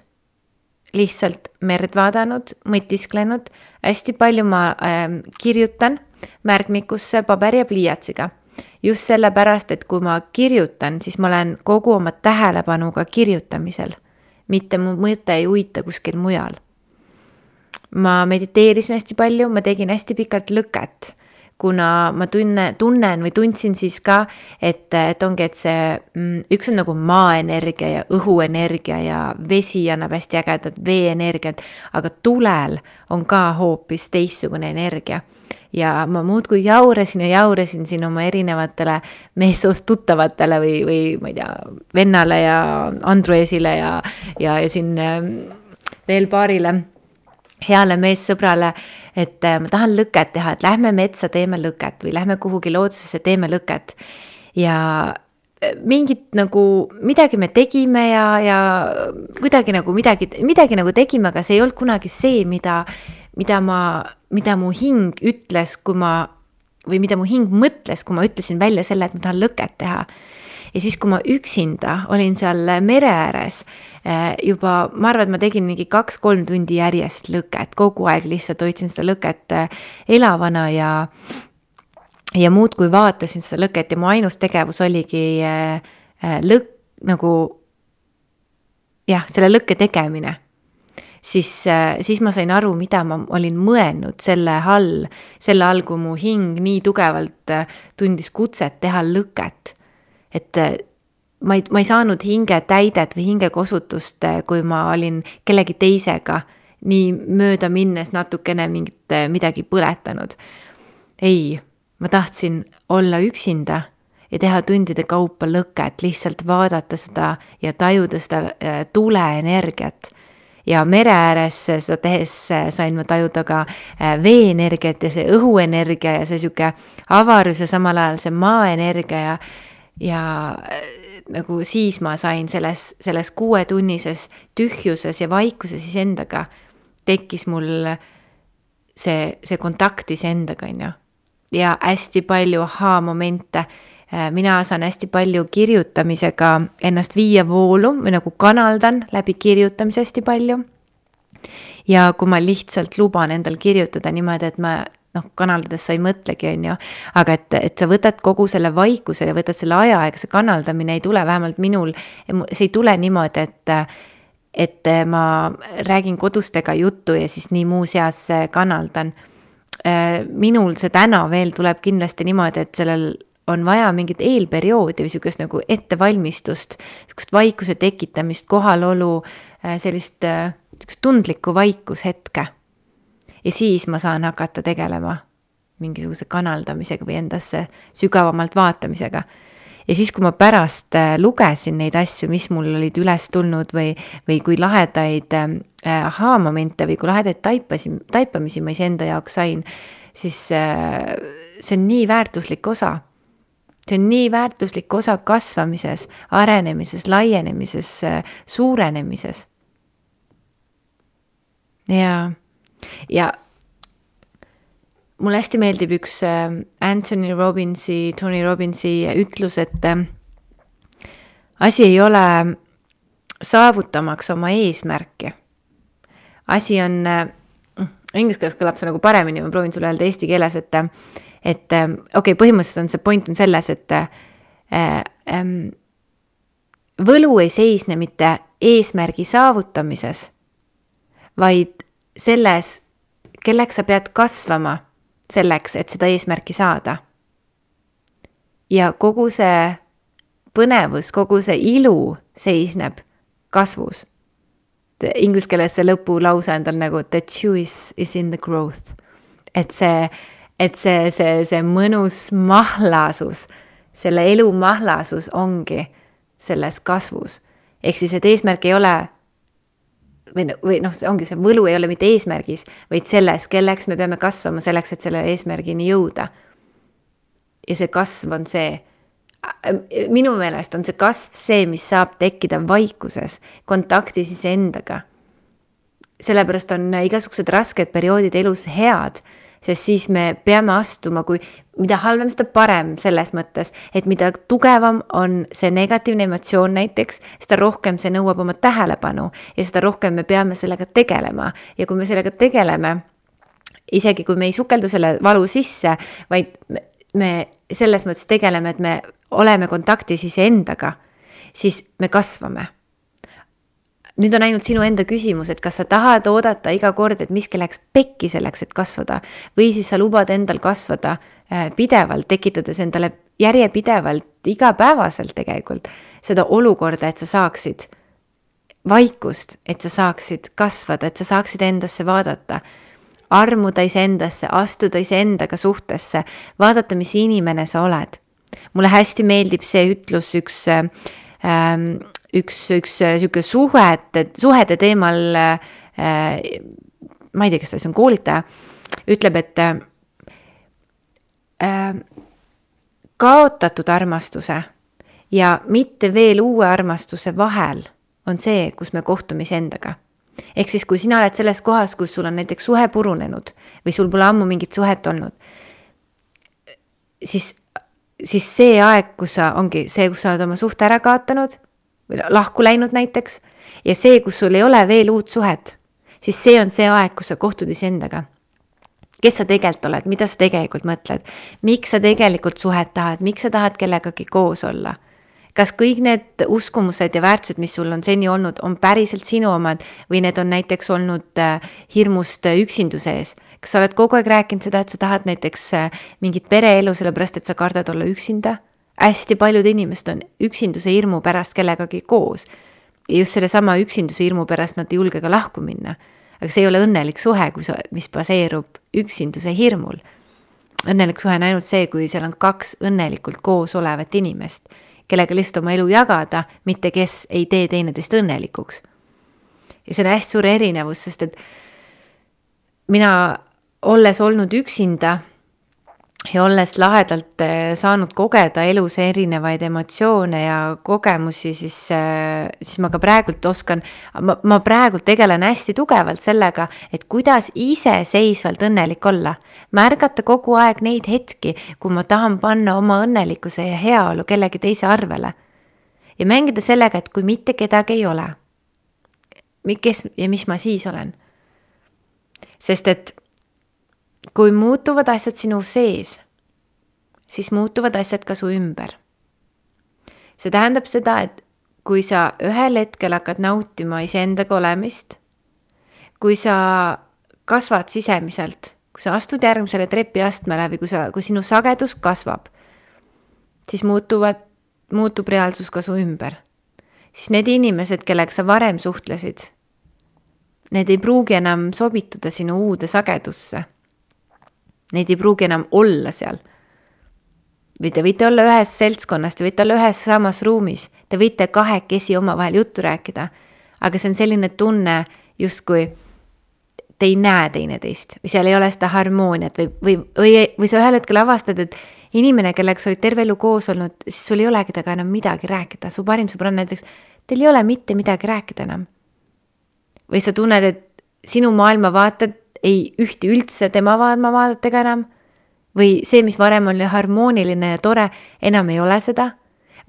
lihtsalt merd vaadanud, mõtisklenud. Hästi palju ma kirjutan märkmikusse paberi ja pliiatsiga. Just sellepärast, et kui ma kirjutan, siis ma olen kogu oma tähelepanuga kirjutamisel. Mitte mu mõte ei uita kuskil mujal. Ma mediteerisin hästi palju, ma tegin hästi pikalt lõket, kuna ma tunnen või tundsin siis ka, et ongi, et see üks on nagu maaenergia ja õhuenergia ja vesi annab hästi ägedat veeenergiat, aga tulel on ka hoopis teistsugune energia. Ja ma muudkui jaurasin siin oma erinevatele meessoost tuttavatele või ma ei tea, vennale ja Andruesile ja siin veel paarile heale meessõbrale, et ma tahan lõket teha, et lähme metsa teeme lõket või lähme kuhugi loodusesse teeme lõket. Ja mingit nagu midagi me tegime ja kuidagi nagu midagi nagu tegime, aga see ei olnud kunagi see, mida mu hing ütles, või mida mu hing mõtles, kui ma ütlesin välja selle, et ma tahan lõket teha. Ja siis, kui ma üksinda olin seal mere ääres, juba, ma arvan, et ma tegin mingi 2-3 tundi järjest lõket, kogu aeg lihtsalt hoidsin seda lõket elavana ja muud kui vaatasin seda lõket ja mu ainus tegevus oligi selle lõkke tegemine. Siis ma sain aru, mida ma olin mõelnud selle all, kui mu hing nii tugevalt tundis kutset teha lõket. Et ma ei saanud hinge täidet või hinge kosutust, kui ma olin kellegi teisega nii mööda minnes natukene midagi põletanud. Ei, ma tahtsin olla üksinda ja teha tundide kaupa lõket, lihtsalt vaadata seda ja tajuda seda tuleenergiat. Ja mere ääres seda tehes sain ma tajuda ka veeenergiat ja see õhuenergia ja see siuke avarus ja samal ajal see maaenergia ja nagu siis ma sain selles 6-tunnises tühjuses ja vaikuses endaga tekkis mul see kontakt endaga, ja hästi palju momente. Mina saan hästi palju kirjutamisega ennast viia voolu või nagu kanaldan läbi kirjutamise hästi palju. Ja kui ma lihtsalt luban endal kirjutada niimoodi, et ma kanaldades sa ei mõtlegi, aga et sa võtad kogu selle vaikuse ja võtad selle aja, ega see kanaldamine ei tule vähemalt minul, see ei tule niimoodi, et ma räägin kodustega juttu ja siis nii muu seas kanaldan. Minul see täna veel tuleb kindlasti niimoodi, et sellel on vaja mingit eelperioodi või sükest nagu ettevalmistust, sükest vaikuse tekitamist, kohalolu, sellist tundlikku vaikushetke. Ja siis ma saan hakata tegelema mingisuguse kanaldamisega või endasse sügavamalt vaatamisega. Ja siis, kui ma pärast lugesin neid asju, mis mul olid üles tulnud või kui lahedaid aha-momente või kui lahedaid taipamisi ma iseenda jaoks sain, siis see on nii väärtuslik osa. See on nii väärtuslik osa kasvamises, arenemises, laienemises, suurenemises. Ja mulle hästi meeldib üks Tony Robbinsi ütlus, et asi ei ole saavutamaks oma eesmärki. Asi on, inglise keeles kõlab see nagu paremini, ma proovin sulle öelda eesti keeles, et põhimõtteliselt on see point on selles, et võlu ei seisne mitte eesmärgi saavutamises, vaid selles, kelleks sa pead kasvama selleks, et seda eesmärki saada. Ja kogu see põnevus, kogu see ilu seisneb kasvus. Inglise keeles see lõpulause on tal nagu the juice is in the growth. Et see mõnus mahlasus, selle elu mahlasus ongi selles kasvus. Ehk siis, et eesmärk ei ole või see ongi see võlu ei ole mitte eesmärgis, vaid selles, kelleks me peame kasvama selleks, et selle eesmärgini jõuda. Ja see kasv on see, minu meelest on see kasv see, mis saab tekkida vaikuses, kontaktis iseendaga. Sellepärast on igasugused rasked perioodid elus head, sest siis me peame astuma, kui mida halvem, seda parem selles mõttes, et mida tugevam on see negatiivne emotsioon näiteks, seda rohkem see nõuab oma tähelepanu ja seda rohkem me peame sellega tegelema. Ja kui me sellega tegeleme, isegi kui me ei sukeldu selle valu sisse, vaid me selles mõttes tegeleme, et me oleme kontaktis iseendaga, siis me kasvame. Nüüd on ainult sinu enda küsimus, et kas sa tahad oodata iga kord, et miski läks pekki selleks, et kasvada, või siis sa lubad endal kasvada pidevalt, tekitades endale järjepidevalt, igapäevaselt tegelikult seda olukorda, et sa saaksid vaikust, et sa saaksid kasvada, et sa saaksid endasse vaadata, armuda iseendasse, astuda iseendaga suhtesse, vaadata, mis inimene sa oled. Mulle hästi meeldib see ütlus üks siuke suhete teemal, ma ei tea, kas see on koolitaja, ütleb, et kaotatud armastuse ja mitte veel uue armastuse vahel on see, kus me kohtume iseendaga. Ehk siis, kui sina oled selles kohas, kus sul on näiteks suhe purunenud või sul pole ammu mingit suhet olnud, siis see aeg, kus sa ongi see, kus sa oled oma suhte ära kaotanud või lahku läinud näiteks, ja see, kus sul ei ole veel uut suhet, siis see on see aeg, kus sa kohtud iseendaga. Kes sa tegelikult oled, mida sa tegelikult mõtled, miks sa tegelikult suhet tahad, miks sa tahad kellegagi koos olla. Kas kõik need uskumused ja väärtused, mis sul on seni olnud, on päriselt sinu omad või need on näiteks olnud hirmust üksinduse ees? Kas sa oled kogu aeg rääkinud seda, et sa tahad näiteks mingit pereelu, sellepärast et sa kardad olla üksinda? Hästi paljud inimesed on üksinduse hirmu pärast kellegagi koos. Ja just selle sama üksinduse hirmu pärast nad ei julge ka lahku minna. Aga see ei ole õnnelik suhe, mis baseerub üksinduse hirmul. Õnnelik suhe on ainult see, kui seal on kaks õnnelikult koos olevat inimest, kellega lihtsalt oma elu jagada, mitte kes ei tee teineteist õnnelikuks. Ja see on hästi suur erinevus, sest et mina olles olnud üksinda ja olles lahedalt saanud kogeda elus erinevaid emotsioone ja kogemusi, siis ma ka praegult oskan, ma praegult tegelen hästi tugevalt sellega, et kuidas iseseisvalt õnnelik olla. Märgata kogu aeg neid hetki, kui ma tahan panna oma õnnelikkuse ja heaolu kellegi teise arvele. Ja mängida sellega, et kui mitte kedagi ei ole, kes ja mis ma siis olen. Sest et kui muutuvad asjad sinu sees, siis muutuvad asjad ka su ümber. See tähendab seda, et kui sa ühel hetkel hakkad nautima iseendaga olemist, kui sa kasvad sisemiselt, kui sa astud järgmisele trepiastmele või kui sinu sagedus kasvab, siis muutub reaalsus ka su ümber. Siis need inimesed, kellega sa varem suhtlesid, need ei pruugi enam sobituda sinu uude sagedusse. Neid ei pruugi enam olla seal. Või te võite olla ühes seltskonnas, te võite olla ühes samas ruumis, te võite kahekesi omavahel juttu rääkida, aga see on selline tunne, justkui te ei näe teineteist või seal ei ole seda harmooniat või sa ühel hetkel avastad, et inimene, kellega sa olid terve elu koos olnud, siis sul ei olegi temaga enam midagi rääkida. Su parim sõbranna näiteks, teil ei ole mitte midagi rääkida enam. Või sa tunned, et sinu maailmavaated ei ühti üldse tema maailmavaadetega enam. Või see, mis varem oli harmooniline ja tore, enam ei ole seda.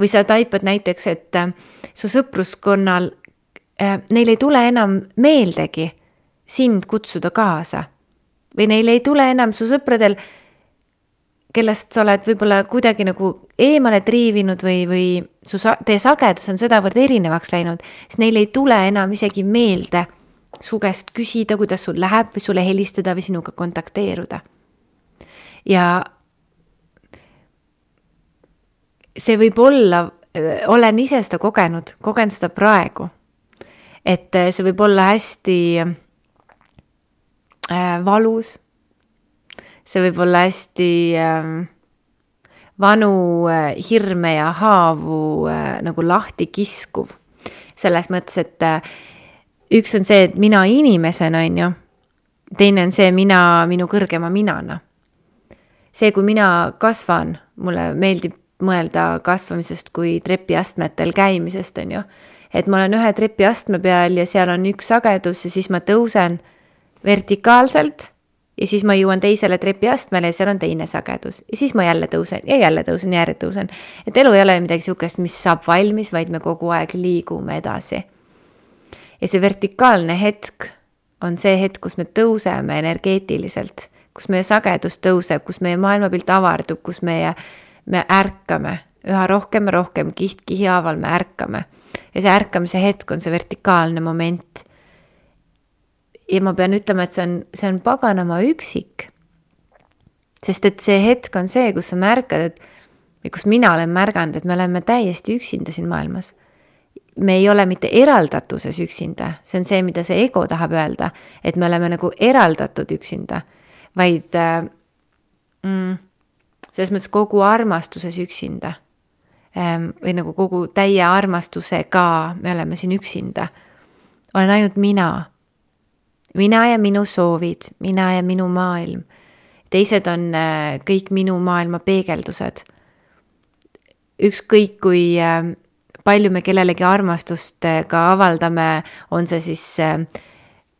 Või sa taipad näiteks, et su sõpruskonnal, neil ei tule enam meeldegi sind kutsuda kaasa. Või neil ei tule enam su sõpradel, kellest sa oled võib-olla kuidagi nagu eemale triivinud või teie sagedus on sedavõrd erinevaks läinud, siis neil ei tule enam isegi meelde su käest küsida, kuidas sul läheb või sulle helistada või sinuga kontakteeruda. Ja see võib olla, olen ise seda kogen seda praegu, et see võib olla hästi valus. See võib olla hästi vanu hirme ja haavu nagu lahti kiskuv. Selles mõttes, et üks on see, et mina inimesena on ju, teine on see minu kõrgema minana. See, kui mina kasvan, mulle meeldib mõelda kasvamisest kui trepiastmetel käimisest on ju, et ma olen ühe trepiastme peal ja seal on üks sagedus ja siis ma tõusen vertikaalselt ja siis ma jõuan teisele trepiastmele ja seal on teine sagedus. Ja siis ma jälle tõusen ja jälle tõusen. Et elu ei ole midagi sihukest, mis saab valmis, vaid me kogu aeg liigume edasi. Ja see vertikaalne hetk on see hetk, kus me tõuseme energeetiliselt, kus meie sagedus tõuseb, kus meie maailmapilt avardub, kus me ärkame. Üha rohkem kiht-kihi haaval me ärkame. Ja see ärkamise hetk on see vertikaalne moment. Ja ma pean ütlema, et see on paganama üksik. Sest et see hetk on see, kus sa märkad, kus mina olen märganud, et me oleme täiesti üksinda siin maailmas. Me ei ole mitte eraldatuses üksinda. See on see, mida see ego tahab öelda, et me oleme nagu eraldatud üksinda, vaid selles mõttes kogu armastuses üksinda. Või nagu kogu täie armastusega me oleme siin üksinda. Olen ainult mina ja minu soovid, mina ja minu maailm. Teised on kõik minu maailma peegeldused. Ükskõik kui palju me kellelegi armastust ka avaldame, on see siis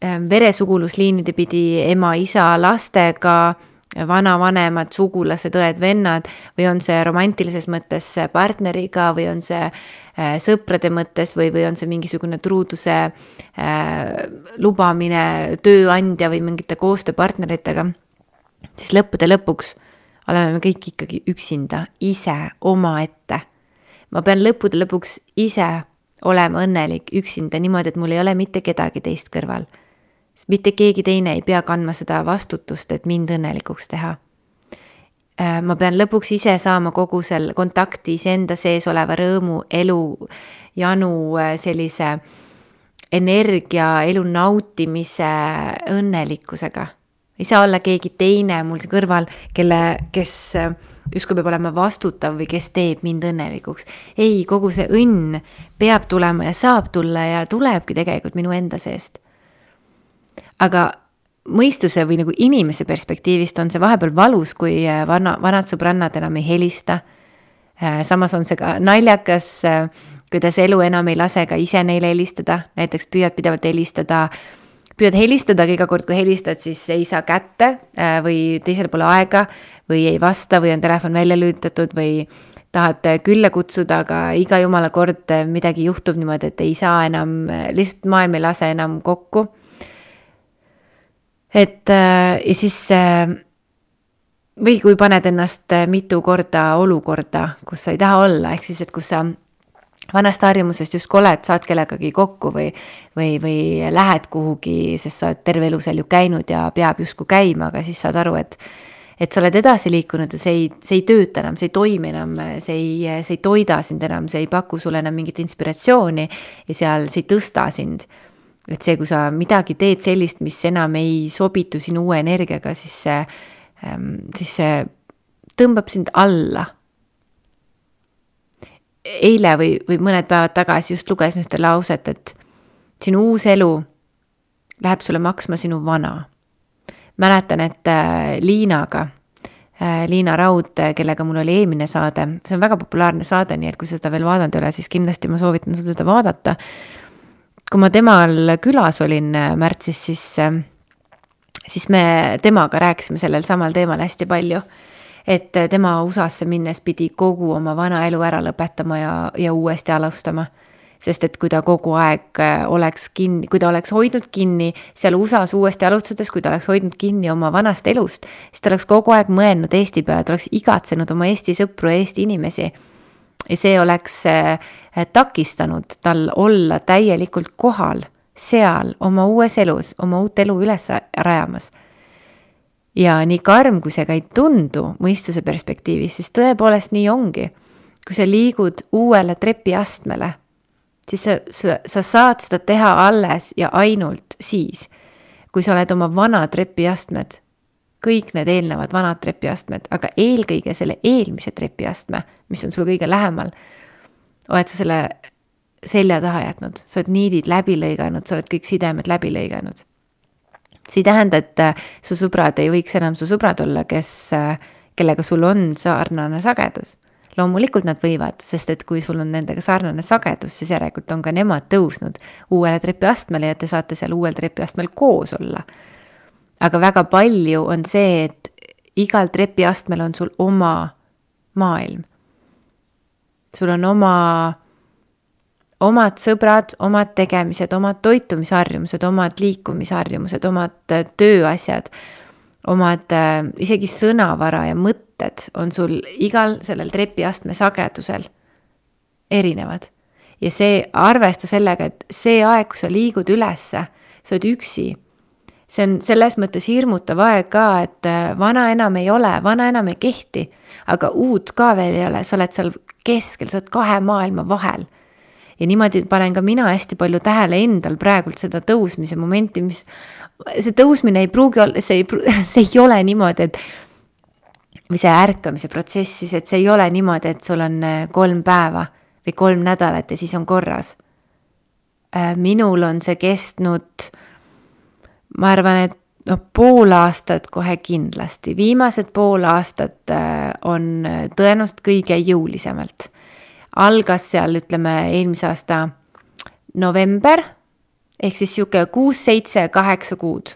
veresugulusliinide pidi ema, isa, lastega, vanavanemad, sugulased, õed, vennad, või on see romantilises mõttes partneriga, või on see sõprade mõttes, või on see mingisugune truuduse lubamine tööandja või mingite koostööpartneritega, siis lõppude lõpuks oleme me kõik ikkagi üksinda, ise, omaette. Ma pean lõppude lõpuks ise olema õnnelik üksinda niimoodi, et mul ei ole mitte kedagi teist kõrval. Mitte keegi teine ei pea kandma seda vastutust, et mind õnnelikuks teha. Ma pean lõpuks ise saama kogu selle kontakti enda sees oleva rõõmu, elu, janu, sellise energia, elu nautimise õnnelikkusega. Ei saa olla keegi teine mul kõrval, kes justkui peab olema vastutav või kes teeb mind õnnelikuks. Ei, kogu see õnn peab tulema ja saab tulla ja tulebki tegelikult minu enda seest. Aga mõistuse või nagu inimese perspektiivist on see vahepeal valus, kui vanad sõbrannad enam ei helista. Samas on see ka naljakas, kuidas elu enam ei lase ka ise neile helistada. Näiteks püüad pidevalt helistada, aga iga kord, kui helistad, siis ei saa kätte või teisel pole aega või ei vasta või on telefon välja lülitatud või tahad külla kutsuda, aga iga jumala kord midagi juhtub niimoodi, et ei saa enam, lihtsalt maailm ei lase enam kokku. Ja siis, või kui paned ennast mitu korda olukorda, kus sa ei taha olla, ehk siis, et kus sa vanast harjumusest just oled, saad kellegagi kokku või lähed kuhugi, sest sa oled terve elu seal ju käinud ja peab justkui käima, aga siis saad aru, et sa oled edasi liikunud ja see ei tööta enam, see ei toimi enam, see ei toida sind enam, see ei paku sulle enam mingit inspiratsiooni ja seal see ei tõsta sind. Et see, kui sa midagi teed sellist, mis enam ei sobitu sinu uue energiaga, siis see tõmbab sind alla. Eile või mõned päevad tagasi just lugesin ühte lauset, et sinu uus elu läheb sulle maksma sinu vana. Mäletan, et Liina Raud, kellega mul oli eelmine saade, see on väga populaarne saade, nii et kui seda veel vaadanud ei ole, siis kindlasti ma soovitan sul seda vaadata. Kui ma temal külas olin märtsis, siis me temaga rääkisime sellel samal teemal hästi palju, et tema USA-sse minnes pidi kogu oma vana elu ära lõpetama ja uuesti alustama. Sest et kui ta kogu aeg oleks kinni, kui ta oleks hoidnud kinni seal USA-s uuesti alustades, kui ta oleks hoidnud kinni oma vanast elust, siis ta oleks kogu aeg mõelnud Eesti peale, ta oleks igatsenud oma Eesti sõpru ja Eesti inimesi. Ja see oleks takistanud tal olla täielikult kohal seal oma uues elus, oma uut elu üles rajamas. Ja nii karm, kui see ka ei tundu mõistuse perspektiivis, siis tõepoolest nii ongi. Kui sa liigud uuele trepiastmele, siis sa saad seda teha alles ja ainult siis, kui sa oled oma vanad trepiastmed, kõik need eelnevad vanad trepiastmed, aga eelkõige selle eelmise trepiastme, mis on sul kõige lähemal, oled sa selle selja taha jätnud, sa oled niidid läbi lõiganud, sa oled kõik sidemed läbi lõiganud. See ei tähenda, et su sõbrad ei võiks enam su sõbrad olla, kellega sul on sarnane sagedus. Loomulikult nad võivad, sest et kui sul on nendega sarnane sagedus, siis järelikult on ka nemad tõusnud uuele trepiastmele ja te saate seal uuel trepiastmel koos olla. Aga väga palju on see, et igal trepiastmel on sul oma maailm. Sul on omad sõbrad, omad tegemised, omad toitumisharjumused, omad liikumisharjumused, omad tööasjad, omad isegi sõnavara ja mõtted on sul igal sellel trepiastme sagedusel erinevad. Ja see arvesta sellega, et see aeg, kui sa liigud ülesse, sa oled üksi. See on selles mõttes hirmutav aeg ka, et vana enam ei ole, vana enam ei kehti, aga uut ka veel ei ole, sa oled seal keskel, sa oled kahe maailma vahel. Ja niimoodi panen ka mina hästi palju tähele endal praegult seda tõusmise momenti, mis see tõusmine ei pruugi olla, see ei ole niimoodi, et või see ärkamise protsessis, et see ei ole niimoodi, et sul on 3 päeva või 3 nädalat ja siis on korras. Minul on see kestnud, ma arvan, et pool aastat kohe kindlasti. Viimased pool aastat on tõenäoliselt kõige jõulisemalt. Algas seal, ütleme, eelmise aasta november, ehk siis siuke 6, 7, 8 kuud.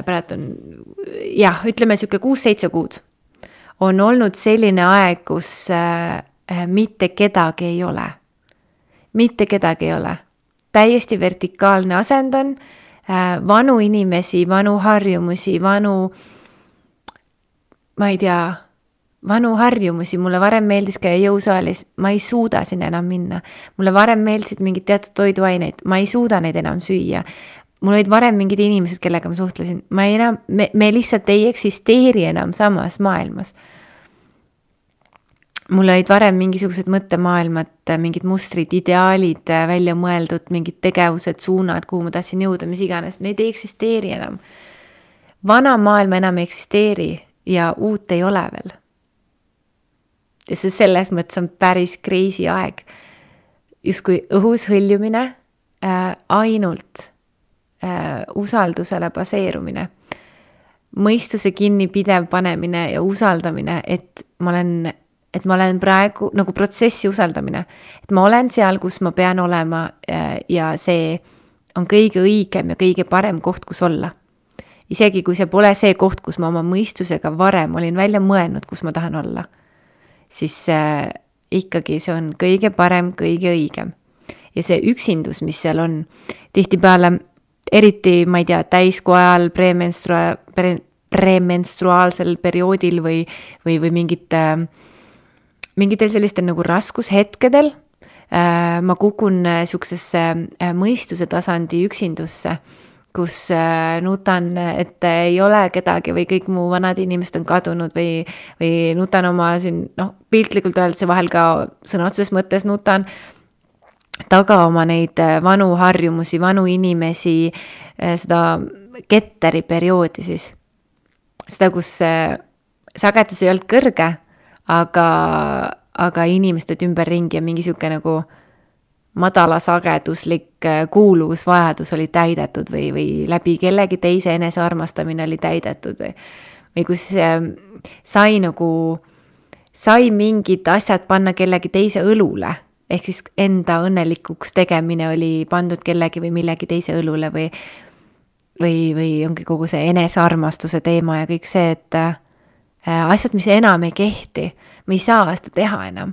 Praegu on, ütleme siuke 6, 7 kuud. On olnud selline aeg, kus mitte kedagi ei ole. Mitte kedagi ei ole. Täiesti vertikaalne asend on, vanu inimesi, vanu harjumusi, ma ei tea, vanu harjumusi, mulle varem meeldis käia jõusaalis, ma ei suuda sinna enam minna. Mulle varem meeldisid mingid teatud toiduaineid, ma ei suuda neid enam süüa. Mul olid varem mingid inimesed, kellega ma suhtlesin. Me lihtsalt ei eksisteeri enam samas maailmas. Mul olid varem mingisugused mõttemaailmad, mingid mustrid, ideaalid välja mõeldud, mingid tegevused, suunad, kuhu ma tahtsin jõuda, mis iganes. Neid ei eksisteeri enam. Vana maailma enam ei eksisteeri ja uut ei ole veel. Ja see selles mõttes on päris crazy aeg. Justkui õhus hõljumine, ainult usaldusele baseerumine. Mõistuse kinni pidev panemine ja usaldamine, et ma olen praegu, nagu protsessi usaldamine. Et ma olen seal, kus ma pean olema ja see on kõige õigem ja kõige parem koht, kus olla. Isegi kui see pole see koht, kus ma oma mõistusega varem olin välja mõelnud, kus ma tahan olla. Siis ikkagi see on kõige parem, kõige õigem. Ja see üksindus, mis seal on, tihtipeale, eriti, ma ei tea, täiskuu ajal, premenstruaalsel perioodil või mingitel sellistel nagu raskushetkedel, ma kukun siuksesse mõistuse tasandi üksindusse, kus nutan, et ei ole kedagi või kõik mu vanad inimesed on kadunud või nutan oma siin, piltlikult öeldes vahel ka sõna otseses mõttes nutan taga oma neid vanu harjumusi, vanu inimesi, seda ketteri perioodi siis. Seda, kus sagedus ei olnud kõrge, aga inimesed ümberringi ja mingi siuke nagu madala sageduslik kuuluvusvajadus oli täidetud või läbi kellegi teise enesearmastamine oli täidetud või kus sai mingid asjad panna kellegi teise õlule, ehk siis enda õnnelikuks tegemine oli pandud kellegi või millegi teise õlule või ongi kogu see enesearmastuse teema ja kõik see, et asjad, mis enam ei kehti, me ei saa seda teha enam.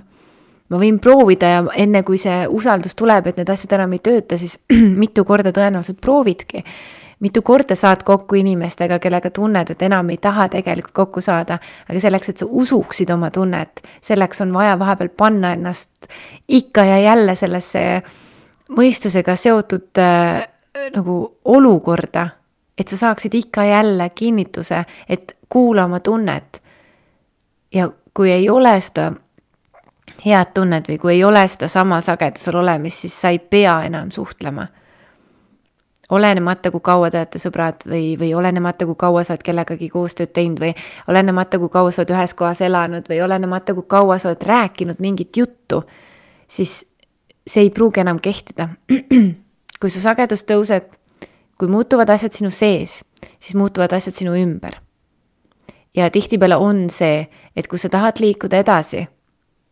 Ma võin proovida ja enne kui see usaldus tuleb, et need asjad enam ei tööta, siis mitu korda tõenäoliselt proovidki. Mitu korda saad kokku inimestega, kellega tunned, et enam ei taha tegelikult kokku saada, aga selleks, et sa usuksid oma tunnet, selleks on vaja vahepeal panna ennast ikka ja jälle sellesse mõistusega seotud nagu olukorda, et sa saaksid ikka jälle kinnituse, et kuula oma tunnet. Ja kui ei ole seda head tunned või kui ei ole seda samal sagedusel olemist, siis sa ei pea enam suhtlema. Olenemata, kui kaua te olete sõbrad või olenemata, kui kaua sa oled kellegagi koostööd teinud või olenemata, kui kaua sa oled ühes kohas elanud või olenemata, kui kaua sa oled rääkinud mingit juttu, siis see ei pruugi enam kehtida. Kui su sagedus tõuseb, kui muutuvad asjad sinu sees, siis muutuvad asjad sinu ümber. Ja tihtipeale on see, et kui sa tahad liikuda edasi,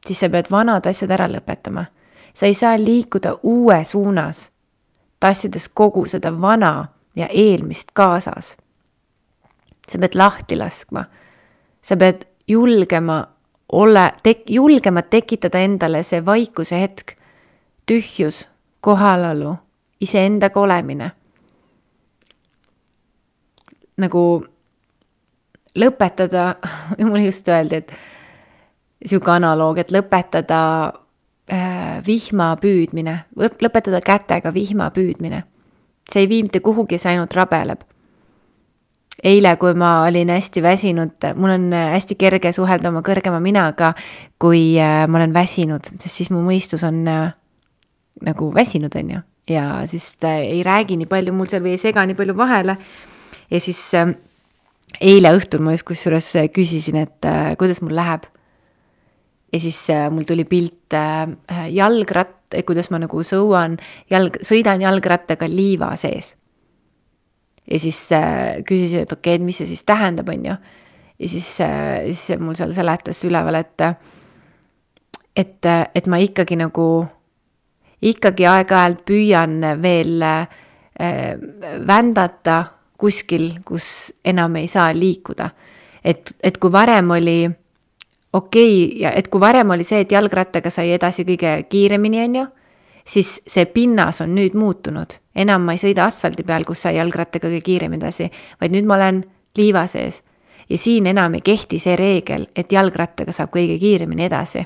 siis sa pead vanad asjad ära lõpetama. Sa ei saa liikuda uue suunas, tassides kogu seda vana ja eelmist kaasas. Sa pead lahti laskma. Sa pead julgema tekitada endale see vaikuse hetk, tühjus, kohalolu, iseendaga olemine. Nagu lõpetada, mulle just öeldi, et siuke analoog, et lõpetada vihma püüdmine, lõpetada kätega vihma püüdmine. See ei vii mitte kuhugi, see ainult rabeleb. Eile, kui ma olin hästi väsinud, mul on hästi kerge suhelda oma kõrgema minaga, kui ma olen väsinud, sest siis mu mõistus on nagu väsinud, on ju. Ja siis ta ei räägi nii palju mul seal või ei sega nii palju vahele. Ja siis eile õhtul ma just kusjuures küsisin, et kuidas mul läheb. Ja siis mul tuli pilt kuidas ma nagu sõidan jalgrattaga liiva sees. Ja siis küsisin, et okei, et mis see siis tähendab, on ju. Ja siis mul seal seletas üleval, et ma ikkagi aeg-ajalt püüan veel vändata kuskil, kus enam ei saa liikuda. Et kui varem oli ja et kui varem oli see, et jalgrattaga sai edasi kõige kiiremini, on ju, siis see pinnas on nüüd muutunud. Enam ma ei sõida asfaldi peal, kus sai jalgrattaga kõige kiiremini edasi, vaid nüüd ma olen liiva sees. Ja siin enam ei kehti see reegel, et jalgrattaga saab kõige kiiremini edasi.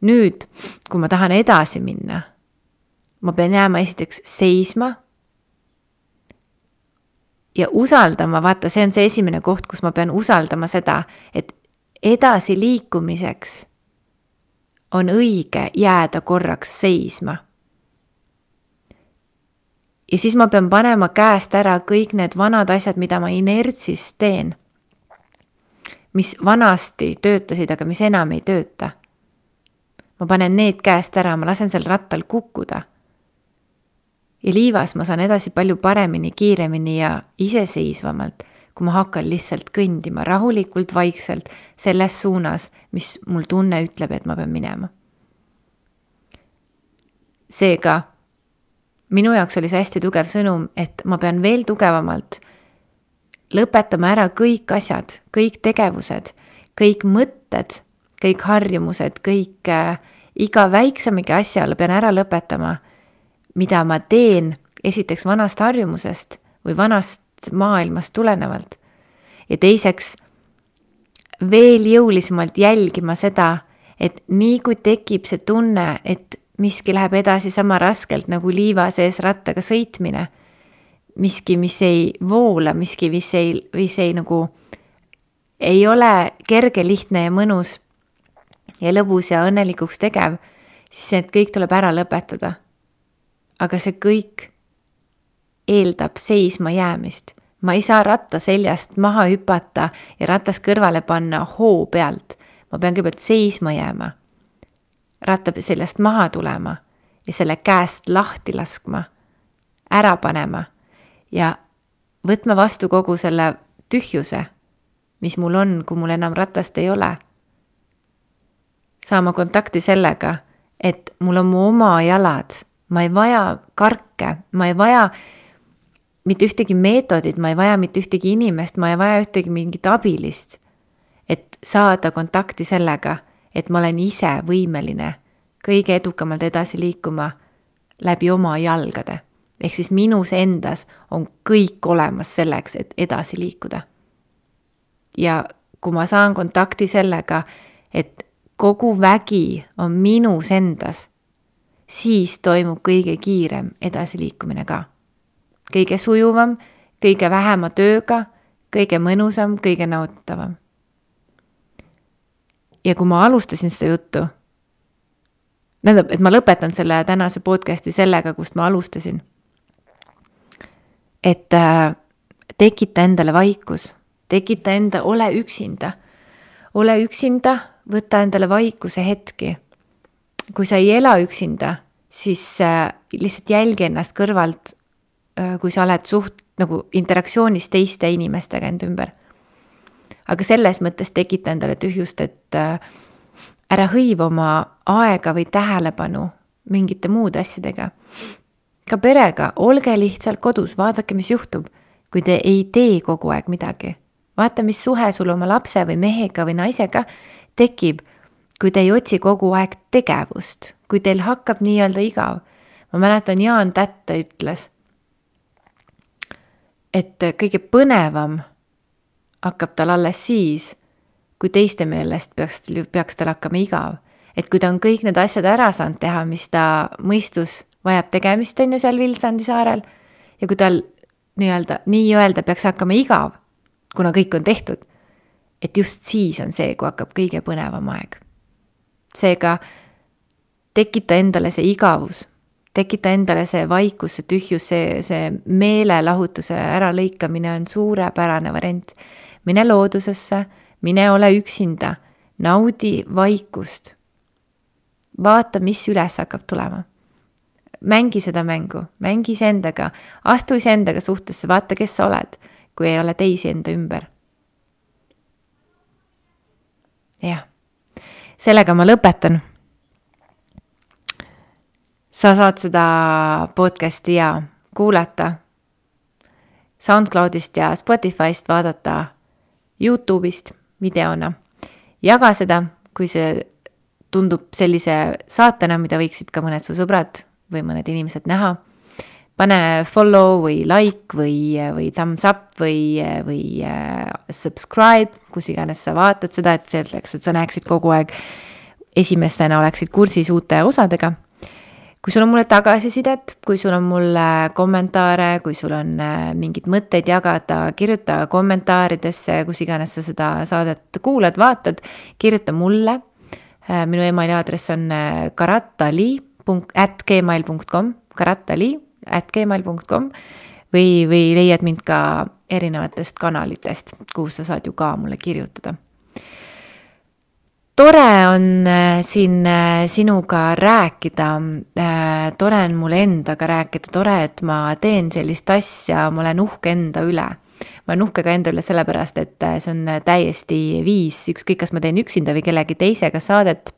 Nüüd, kui ma tahan edasi minna, ma pean jääma esiteks seisma ja usaldama, vaata, see on see esimene koht, kus ma pean usaldama seda, et edasi liikumiseks on õige jääda korraks seisma. Ja siis ma pean panema käest ära kõik need vanad asjad, mida ma inertsis teen, mis vanasti töötasid, aga mis enam ei tööta. Ma panen need käest ära, ma lasen sel rattal kukkuda. Ja liivas ma saan edasi palju paremini, kiiremini ja iseseisvamalt, kui ma hakkan lihtsalt kõndima rahulikult, vaikselt selles suunas, mis mul tunne ütleb, et ma pean minema. Seega, minu jaoks oli see hästi tugev sõnum, et ma pean veel tugevamalt lõpetama ära kõik asjad, kõik tegevused, kõik mõtted, kõik harjumused, kõik iga väiksemegi asjale pean ära lõpetama, mida ma teen esiteks vanast harjumusest või vanast maailmast tulenevalt. Ja teiseks veel jõulisemalt jälgima seda, et nii kui tekib see tunne, et miski läheb edasi sama raskelt nagu liiva sees rattaga sõitmine, miski, mis ei voola, miski, mis ei nagu ei ole kerge, lihtne ja mõnus ja lõbus ja õnnelikuks tegev, siis need kõik tuleb ära lõpetada. Aga see kõik eeldab seisma jäämist. Ma ei saa ratta seljast maha hüpata ja ratas kõrvale panna hoo pealt. Ma pean kõigepealt seisma jääma, ratta seljast maha tulema ja selle käest lahti laskma, ära panema ja võtma vastu kogu selle tühjuse, mis mul on, kui mul enam ratast ei ole. Saama kontakti sellega, et mul on mu oma jalad, ma ei vaja karke, ma ei vaja mitte ühtegi meetodit, ma ei vaja mitte ühtegi inimest, ma ei vaja ühtegi mingit abilist, et saada kontakti sellega, et ma olen ise võimeline kõige edukamalt edasi liikuma läbi oma jalgade. Ehk siis minus endas on kõik olemas selleks, et edasi liikuda. Ja kui ma saan kontakti sellega, et kogu vägi on minus endas, siis toimub kõige kiirem edasiliikumine ka. Kõige sujuvam, kõige vähema tööga, kõige mõnusam, kõige nauditavam. Ja kui ma alustasin seda juttu, tähendab, et ma lõpetan selle tänase podcasti sellega, kust ma alustasin, et tekita endale vaikus, tekita ole üksinda, võta endale vaikuse hetki. Kui sa ei ela üksinda, siis lihtsalt jälgi ennast kõrvalt, kui sa oled nagu interaktsioonis teiste inimestega enda ümber. Aga selles mõttes tekita endale tühjust, et ära hõiva oma aega või tähelepanu mingite muude asjadega. Ka perega, olge lihtsalt kodus, vaadake, mis juhtub, kui te ei tee kogu aeg midagi. Vaata, mis suhe sul oma lapse või mehega või naisega tekib, kui te ei otsi kogu aeg tegevust, kui teil hakkab nii-öelda igav. Ma mäletan, Jaan Tätta ütles, et kõige põnevam hakkab tal alles siis, kui teiste meelest peaks tal hakkama igav. Et kui ta on kõik need asjad ära saanud teha, mis ta mõistus vajab tegemist on ju seal Vilsandi saarel, ja kui tal nii-öelda peaks hakkama igav, kuna kõik on tehtud, et just siis on see, kui hakkab kõige põnevam aeg. Seega tekita endale see igavus, tekita endale see vaikus, see tühjus, see meelelahutuse äralõikamine on suurepärane variant. Mine loodusesse, mine ole üksinda, naudi vaikust. Vaata, mis üles hakkab tulema. Mängi seda mängu, mängi iseendaga, astu iseendaga suhtesse, vaata, kes sa oled, kui ei ole teisi enda ümber. Jah, sellega ma lõpetan. Sa saad seda podcasti ja kuulata SoundCloudist ja Spotifyst, vaadata YouTube'ist videona. Jaga seda, kui see tundub sellise saatena, mida võiksid ka mõned su sõbrad või mõned inimesed näha. Pane follow või like või thumbs up või subscribe, kus iganes sa vaatad seda, et selleks, et sa näeksid kogu aeg esimestena oleksid kursis uute osadega. Kui sul on mulle tagasisidet, kui sul on mulle kommentaare, kui sul on mingid mõtteid jagada, kirjuta kommentaaridesse, kus iganes sa seda saadet kuulad, vaatad, kirjuta mulle. Minu emaili aadress on karatali@gmail.com või leiad mind ka erinevatest kanalitest, kus sa saad ju ka mulle kirjutada. Tore on siin sinuga rääkida, tore on mulle endaga rääkida, tore, et ma teen sellist asja, ma olen uhke enda üle. Ma olen uhke ka enda üle sellepärast, et see on täiesti viis, ükskõik kas ma teen üksinda või kellegi teisega saadet,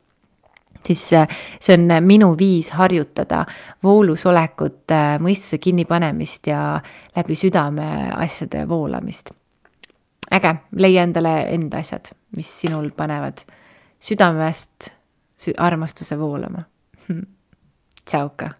siis see on minu viis harjutada voolusolekut, mõistuse kinnipanemist ja läbi südame asjade voolamist. Äge, leia endale enda asjad, mis sinul panevad südamest armastuse voolama. Tšauka!